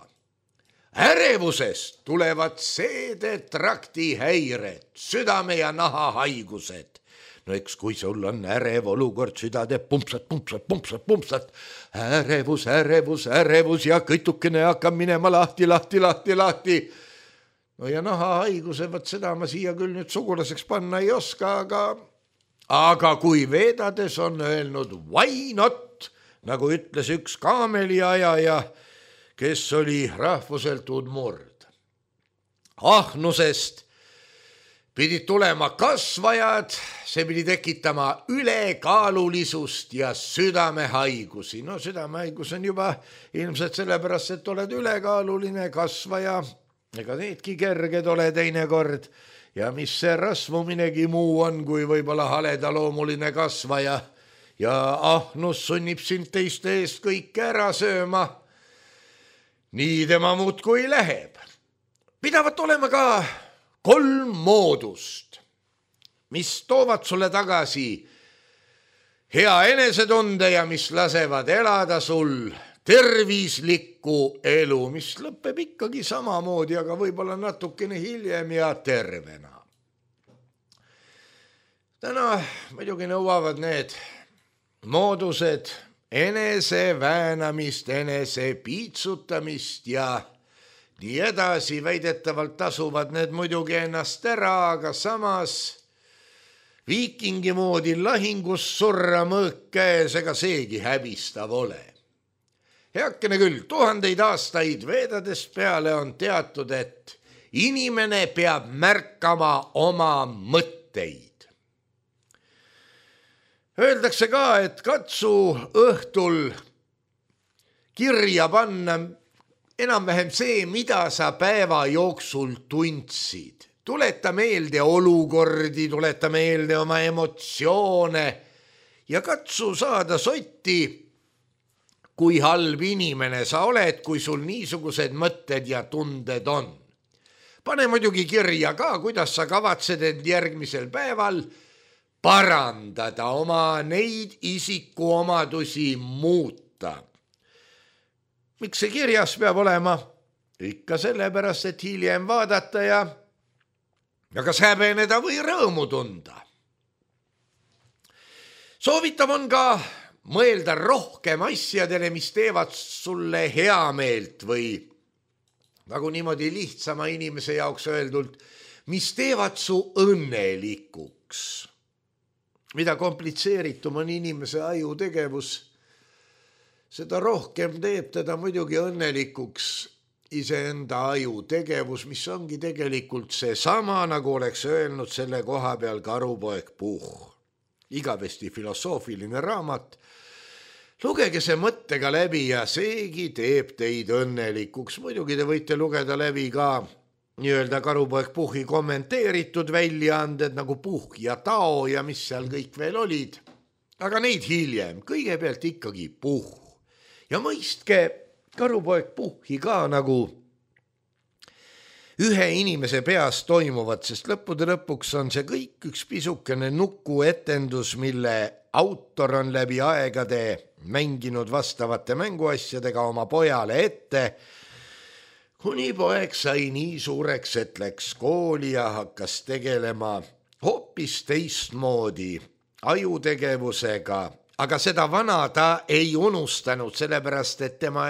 Ärevusest tulevad seedetrakti häired, südame ja naha haigused. No eks kui sul on ärev olukord, süda teeb pumpsat, pumpsat, pumpsat, pumpsat, ärevus, ärevus, ärevus ja kõtukene hakkab minema lahti, lahti, lahti, lahti. No ja naha haiguse, võt seda ma siia küll nüüd sugulaseks panna ei oska, aga, aga kui vedades on öelnud why not, nagu ütles üks kaameliajaja, kes oli rahvuselt udmurd. Ahnusest pidid tulema kasvajad, see pidi tekitama ülekaalulisust ja südamehaigusi. No südamehaigus on juba ilmselt sellepärast, et oled ülekaaluline kasvaja, ega needki kerged ole teinekord. Ja mis see rasvuminegi muu on, kui võib-olla haledaloomuline kasvaja ja ahnus sunnib sind teiste eest kõike ära sööma. Nii tema muudkui läheb. Pidavat olema ka kolm moodust, mis toovad sulle tagasi hea enesetunde ja mis lasevad elada sul tervislikku elu, mis lõpeb ikkagi samamoodi, aga võib-olla natukene hiljem ja tervena. Täna muidugi nõuavad need moodused enese väänamist, enese piitsutamist ja nii edasi. Väidetavalt tasuvad need muidugi ennast ära, aga samas viikingi moodi lahingus surra mõõk käes, ega seegi häbistav ole. Heakene küll, tuhandeid aastaid veedadest peale on teatud, et inimene peab märkama oma mõtteid. Öeldakse ka, et katsu õhtul kirja panna enam-vähem see, mida sa päeva jooksul tundsid. Tuleta meelde olukordi, tuleta meelde oma emotsioone ja katsu saada sotti, kui halb inimene sa oled, kui sul niisugused mõtted ja tunded on. Pane muidugi kirja ka, kuidas sa kavatsed end järgmisel päeval parandada, oma neid isikuomadusi muuta. Miks see kirjas peab olema? Ikka sellepärast, et hiljem vaadata ja, ja kas häbeneda või rõõmu tunda. Soovitav on ka mõelda rohkem asjadele, mis teevad sulle hea meelt või nagu niimoodi lihtsama inimese jaoks öeldult, mis teevad su õnnelikuks. Mida komplitseeritum on inimese aju tegevus, seda rohkem teeb teda muidugi õnnelikuks iseenda aju tegevus, mis ongi tegelikult see sama, nagu oleks öelnud selle koha peal Karupoeg Puhh. Igavesti filosoofiline raamat. Lugege see mõttega läbi ja seegi teeb teid õnnelikuks. Muidugi te võite lugeda läbi ka nii-öelda Karupoeg Puhhi kommenteeritud väljaanded nagu Puhh ja Tao ja mis seal kõik veel olid. aga neid hiljem, kõigepealt ikkagi puh. Ja mõistke, karupoeg puhhi ka nagu ühe inimese peas toimuvad, sest lõppude lõpuks on see kõik üks pisukene nukuetendus, mille autor on läbi aegade mänginud vastavate mänguasjadega oma pojale ette, kuni poeg sai nii suureks, et läks kooli ja hakkas tegelema hoopis teistmoodi ajutegevusega, aga seda vana ta ei unustanud, sellepärast et tema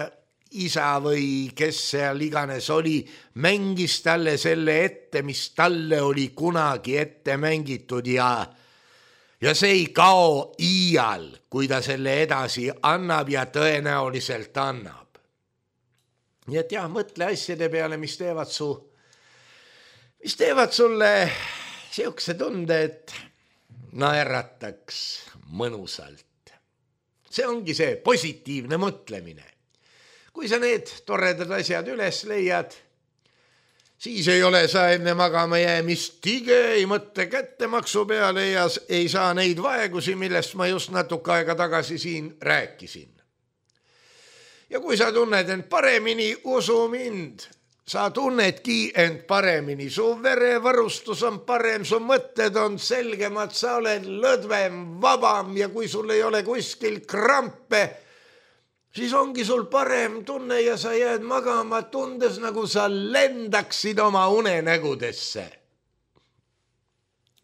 isa või kes seal iganes oli, mängis talle selle ette, mis talle oli kunagi ette mängitud ja, ja see ei kao iial, kui ta selle edasi annab ja tõenäoliselt annab. Nii et jah, mõtle asjade peale, mis teevad su, mis teevad sulle siukse tunde, et naerataks mõnusalt. See ongi see positiivne mõtlemine. Kui sa need toredad asjad üles leiad, siis ei ole sa enne magama jäämist tige, ei mõtte kättemaksu peale ja ei saa neid vaegusi, millest ma just natuke aega tagasi siin rääkisin. Ja kui sa tunned end paremini, usu mind, sa tunnedki end paremini, su verevarustus on parem, su mõtted on selgemad, sa oled lõdvem, vabam ja kui sul ei ole kuskil krampe, siis ongi sul parem tunne ja sa jääd magama tundes, nagu sa lendaksid oma unenägudesse.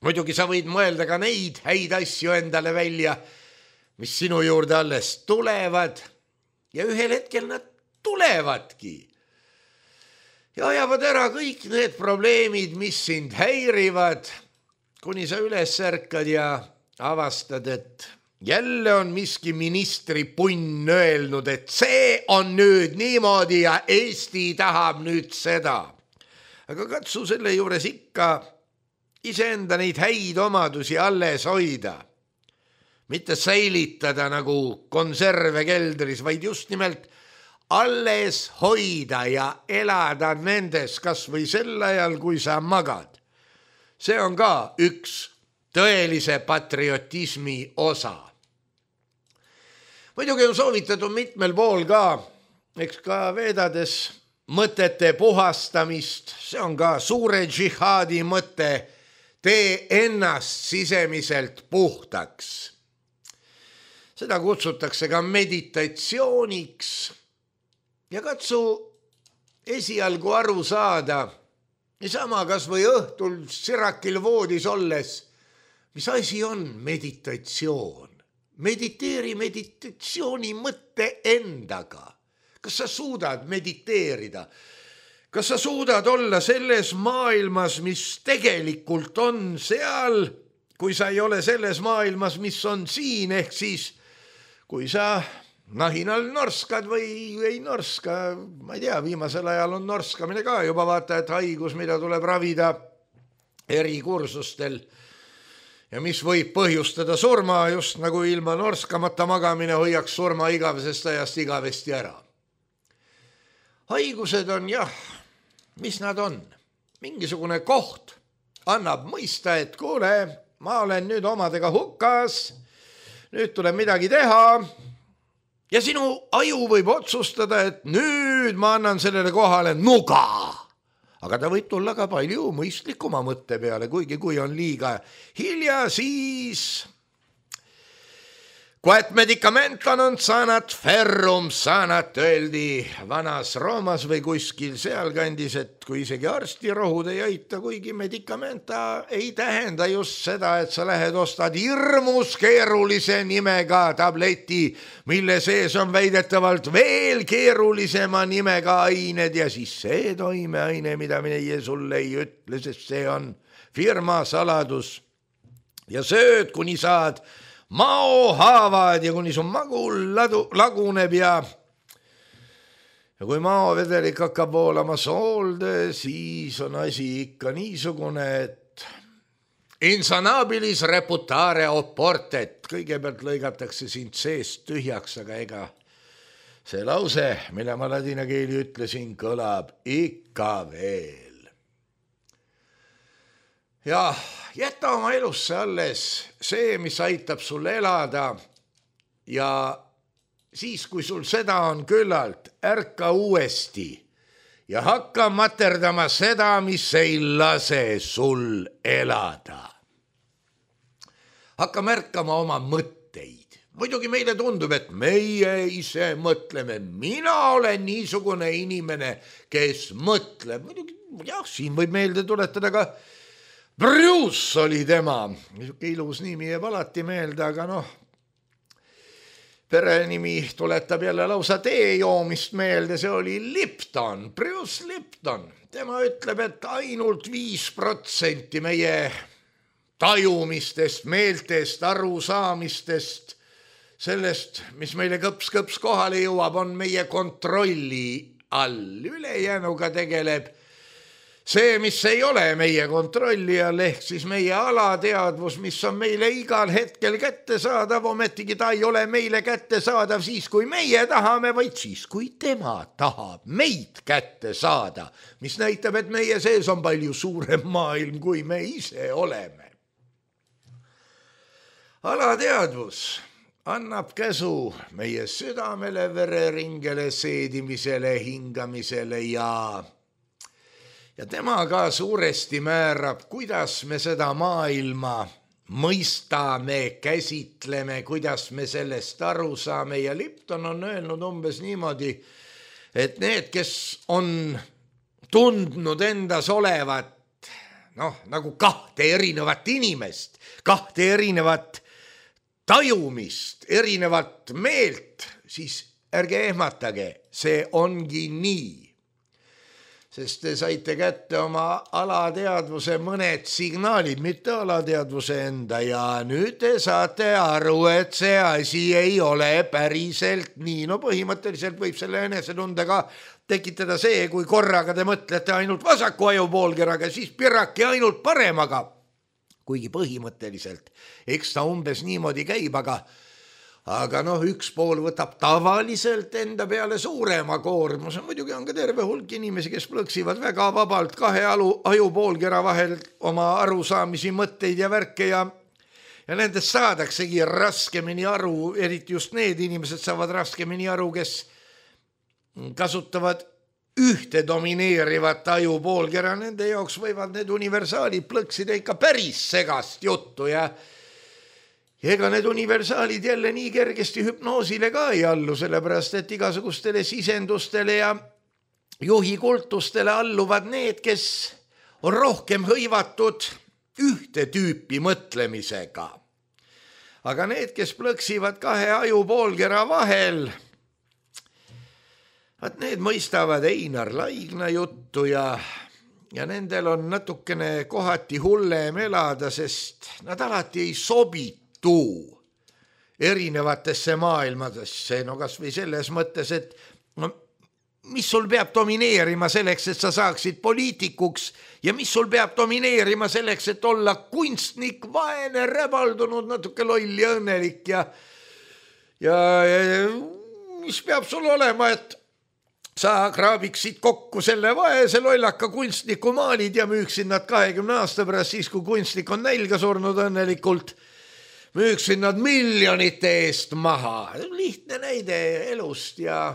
Muidugi sa võid mõelda ka neid häid asju endale välja, mis sinu juurde alles tulevad ja ühel hetkel nad tulevadki. Ja ajavad ära kõik need probleemid, mis sind häirivad, kuni sa üles ärkad ja avastad, et jälle on miski ministri punn öelnud, et see on nüüd niimoodi ja Eesti tahab nüüd seda. Aga katsu selle juures ikka iseenda neid häid omadusi alles hoida. Mitte säilitada nagu konserve keldris, vaid just nimelt alles hoida ja elada nendes kas või sel ajal, kui sa magad. See on ka üks tõelise patriotismi osa. Muidugi on soovitatud mitmel pool ka, eks ka veedades mõtete puhastamist, see on ka suure džihaadi mõte, tee ennast sisemiselt puhtaks. Seda kutsutakse ka meditatsiooniks ja katsu esialgu aru saada, niisama kas või õhtul sirakil voodis olles, mis asi on meditatsioon. Mediteeri meditatsiooni mõtte endaga. Kas sa suudad mediteerida? Kas sa suudad olla selles maailmas, mis tegelikult on seal, kui sa ei ole selles maailmas, mis on siin, ehk siis kui sa nahinal norskad või ei norska, ma ei tea, viimasel ajal on norskamine ka juba vaata, et haigus, mida tuleb ravida eri kursustel ja mis võib põhjustada surma, just nagu ilma norskamata magamine hoiaks surma igavesest ajast igavesti ära. Haigused on jah, mis nad on? Mingisugune koht annab mõista, et kuule, ma olen nüüd omadega hukas, nüüd tuleb midagi teha ja sinu aju võib otsustada, et nüüd ma annan sellele kohale nuga. Aga ta võib tulla ka palju mõistlikuma mõtte peale, kuigi kui on liiga hilja, siis quod medicamentum non sanat ferrum sanat, öeldi vanas Roomas või kuskil sealkandis, et kui isegi arstirohud ei aita, kuigi medikamenta ei tähenda just seda, et sa lähed ostad hirmus keerulise nimega tableti, mille sees on väidetavalt veel keerulisema nimega ained ja siis see toimeaine, mida meie sulle ei ütle, sest see on firma saladus ja sööd, kuni saad mao haavad ja kuni su magul ladu, laguneb ja ja kui maovedelik hakkab voolama soolde, siis on asi ikka niisugune, et insanabilis reputare oportet, kõigepealt lõigatakse sind seest tühjaks, aga ega see lause, mille ma ladina keeli ütlesin, kõlab ikka veel. Jah, jäta oma elusse alles see, mis aitab sul elada ja siis, kui sul seda on küllalt, ärka uuesti ja hakka materdama seda, mis ei lase sul elada. Hakka märkama oma mõtteid. Muidugi meile tundub, et meie ise mõtleme. Mina olen niisugune inimene, kes mõtleb. Muidugi, jah, siin võib meelde tuletada ka Bruce oli tema. Niisuke ilus nimi jääb alati meelde, aga noh, perenimi tuletab jälle lausa tee joomist meelde, see oli Lipton, Bruce Lipton. Tema ütleb, et ainult viis protsenti meie tajumistest, meeltest, arusaamistest, sellest, mis meile kõps-kõps kohale jõuab, on meie kontrolli all. Ülejäänuga tegeleb see, mis ei ole meie kontrolli all, ehk siis meie alateadvus, mis on meile igal hetkel kättesaadav, ometigi ta ei ole meile kättesaadav siis, kui meie tahame, vaid siis, kui tema tahab meid kätte saada, mis näitab, et meie sees on palju suurem maailm, kui me ise oleme. Alateadvus annab käsu meie südamele, vereringele, seedimisele, hingamisele ja Ja tema ka suuresti määrab, kuidas me seda maailma mõistame, käsitleme, kuidas me sellest aru saame. Ja Lipton on öelnud umbes niimoodi, et need, kes on tundnud endas olevat, noh, nagu kahte erinevat inimest, kahte erinevat tajumist, erinevat meelt, siis ärge ehmatage, see ongi nii. Sest te saite kätte oma alateadvuse mõned signaalid, mitte alateadvuse enda ja nüüd te saate aru, et see asi ei ole päriselt nii. No põhimõtteliselt võib selle enesetundega tekitada see, kui korraga te mõtlete ainult vasaku ajupoolkeraga, siis piraki ainult paremaga. Kuigi põhimõtteliselt, eks ta umbes niimoodi käib, aga Aga noh, üks pool võtab tavaliselt enda peale suurema koormuse. Muidugi on ka terve hulk inimesi, kes plõksivad väga vabalt kahe alu, ajupoolkera vahel oma arusaamisi, mõtteid ja värke ja, ja nendest saadaksegi raskemini aru, eriti just need inimesed saavad raskemini aru, kes kasutavad ühte domineerivat ajupoolkera. Nende jaoks võivad need universaalid plõksida ikka päris segast juttu ja Ja ega need universaalid jälle nii kergesti hüpnoosile ka ei allu, sellepärast et igasugustele sisendustele ja juhikultustele alluvad need, kes on rohkem hõivatud ühte tüüpi mõtlemisega. Aga need, kes plõksivad kahe ajupoolkera vahel, vaat need mõistavad Einar Laigna juttu ja, ja nendel on natukene kohati hullem elada, sest nad alati ei sobitu erinevatesse maailmadesse. No kas või selles mõttes, et no, mis sul peab domineerima selleks, et sa saaksid poliitikuks ja mis sul peab domineerima selleks, et olla kunstnik, vaene, räbaldunud, natuke loll ja õnnelik ja, ja, ja mis peab sul olema, et sa kraabiksid kokku selle vaese lollaka kunstniku maalid ja müüksid nad kahekümne aasta pärast siis, kui kunstnik on nälga surnud õnnelikult, müüksid nad miljonite eest maha. Lihtne näide elust ja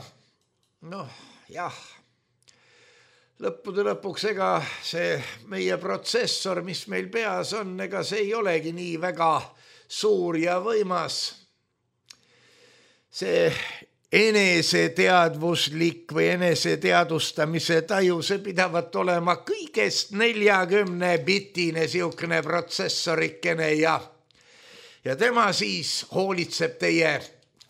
noh, jah, lõppude lõpuks ega see meie protsessor, mis meil peas on, ega see ei olegi nii väga suur ja võimas. See eneseteadvuslik või eneseteadustamise taju, see pidavat olema kõigest neljakümne bitine siukene protsessorikene ja Ja tema siis hoolitseb teie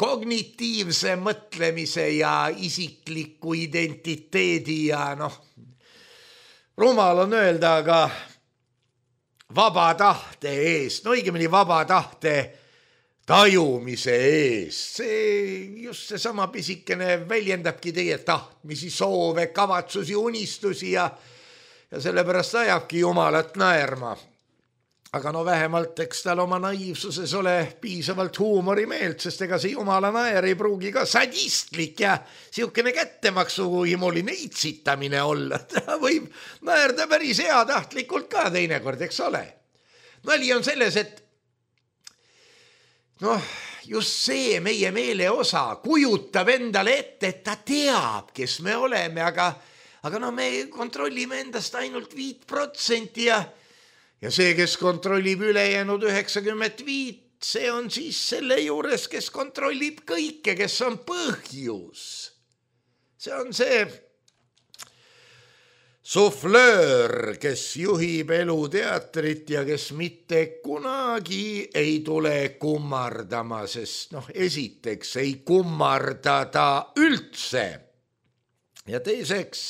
kognitiivse mõtlemise ja isikliku identiteedi ja noh, rumal on öelda, aga vaba tahte eest, no õigemini vaba tahte tajumise eest. See just see sama pisikene väljendabki teie tahtmisi, soove, kavatsusi, unistusi ja, ja sellepärast ajabki Jumalat naerma. Aga no vähemalt eks tal oma naiivsuses ole piisavalt huumorimeelt, sest ega see Jumala naer ei pruugi ka sadistlik ja siukene kättemaksuhimuline itsitamine olla. Ta võib naerda päris heatahtlikult ka teinekord, eks ole. nali on selles, et noh, just see meie meele osa kujutab endale ette, et ta teab, kes me oleme, aga, aga no me kontrollime endast ainult viit protsenti ja, ja see, kes kontrollib ülejäänud üheksakümmend viit, see on siis selle juures, kes kontrollib kõike, kes on põhjus. See on see suflöör, kes juhib eluteatrit ja kes mitte kunagi ei tule kummardama, sest noh, esiteks ei kummarda ta üldse. Ja teiseks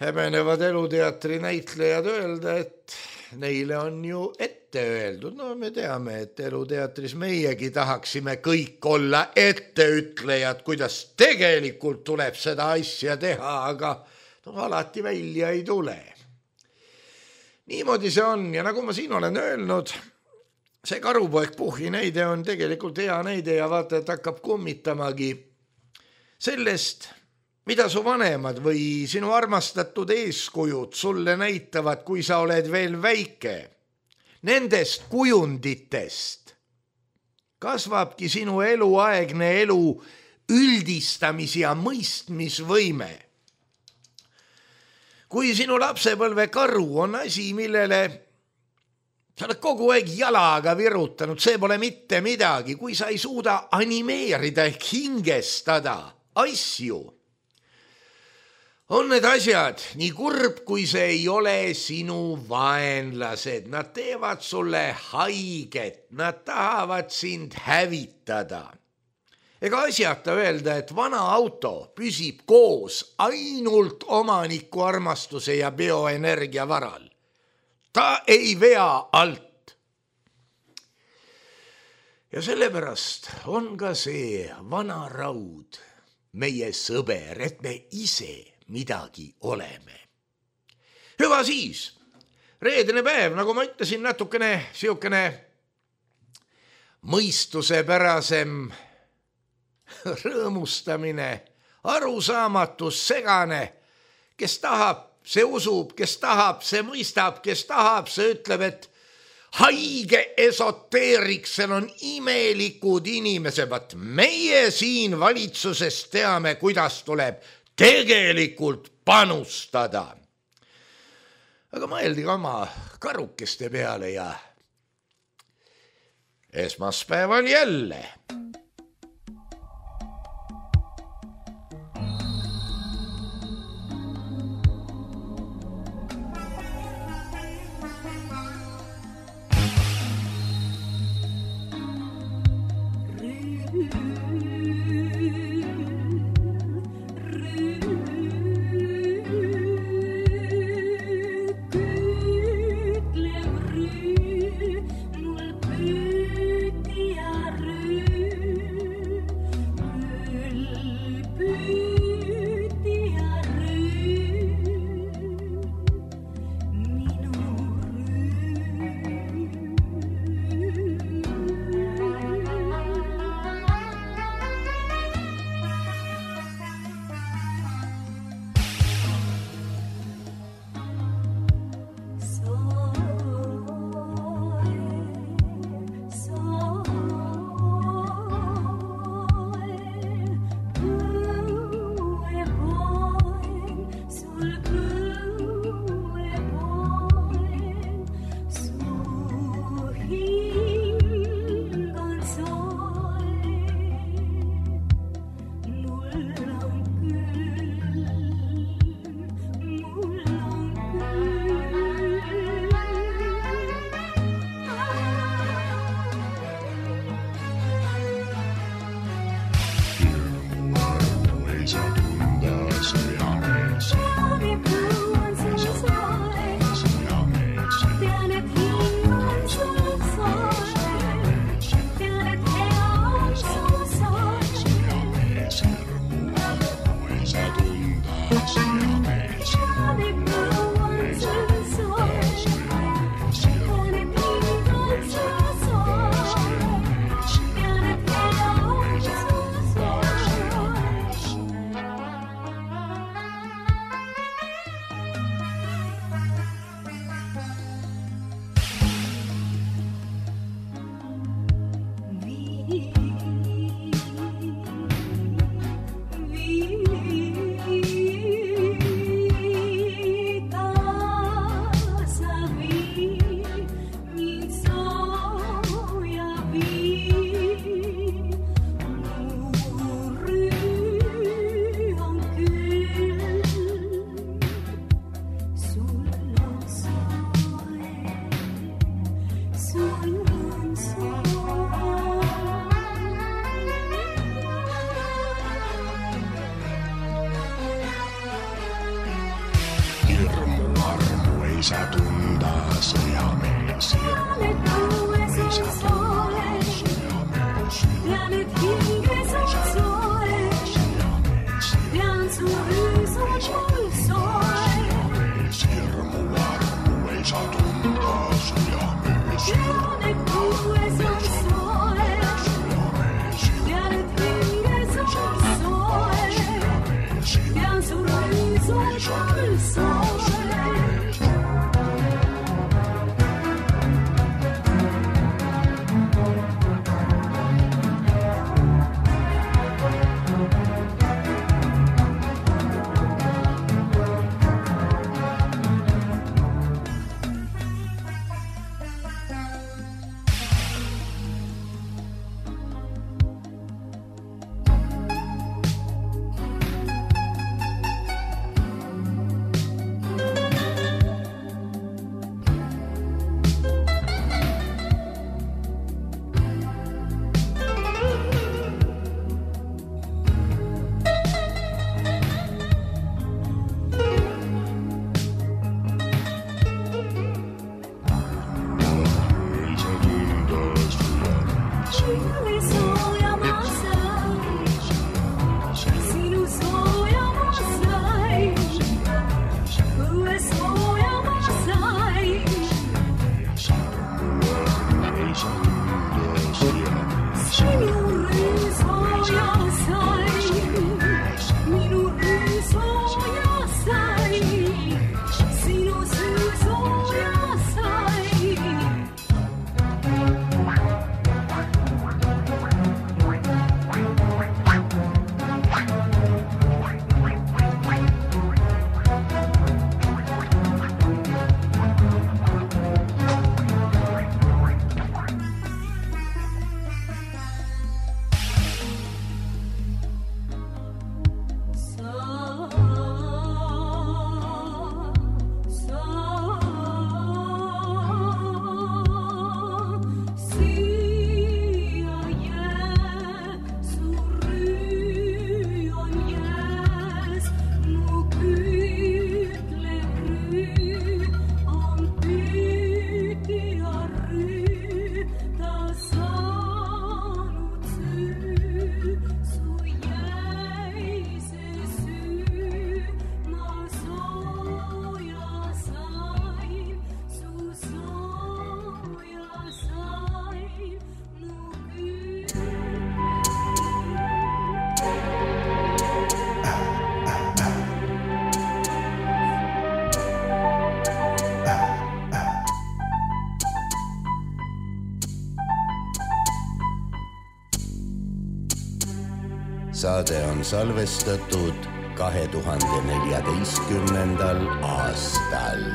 häbenevad eluteatri näitlejad öelda, et neile on ju ette öeldud. No me teame, et eluteatris meiegi tahaksime kõik olla etteütlejad, kuidas tegelikult tuleb seda asja teha, aga no alati välja ei tule. Niimoodi see on ja nagu ma siin olen öelnud, see karupoeg Puhhi näide on tegelikult hea näide ja vaata, et hakkab kummitamagi sellest, mida su vanemad või sinu armastatud eeskujud sulle näitavad, kui sa oled veel väike. Nendest kujunditest kasvabki sinu eluaegne elu üldistamis- ja mõistmisvõime. Kui sinu lapsepõlve karu on asi, millele sa oled kogu aeg jalaga virutanud, see pole mitte midagi, kui sa ei suuda animeerida ehk hingestada asju, on need asjad nii kurb, kui see ei ole sinu vaenlased. Nad teevad sulle haiget, nad tahavad sind hävitada. Ega asjata öelda, et vana auto püsib koos ainult omaniku armastuse ja bioenergia varal. Ta ei vea alt. Ja sellepärast on ka see vana raud meie sõber, et me ise midagi oleme. Hüva siis, reedene päev, nagu ma ütlesin, natukene siukene mõistusepärasem rõõmustamine, arusaamatus, segane, kes tahab, see usub, kes tahab, see mõistab, kes tahab, see ütleb, et haige esoteeriksel on imelikud inimesed, vaat meie siin valitsuses teame, kuidas tuleb tegelikult panustada. Aga mõeldi ka oma karukeste peale ja esmaspäeval jälle. Mul püüti ja rüü Saade on salvestatud kahe tuhande neljateistkümnendal aastal.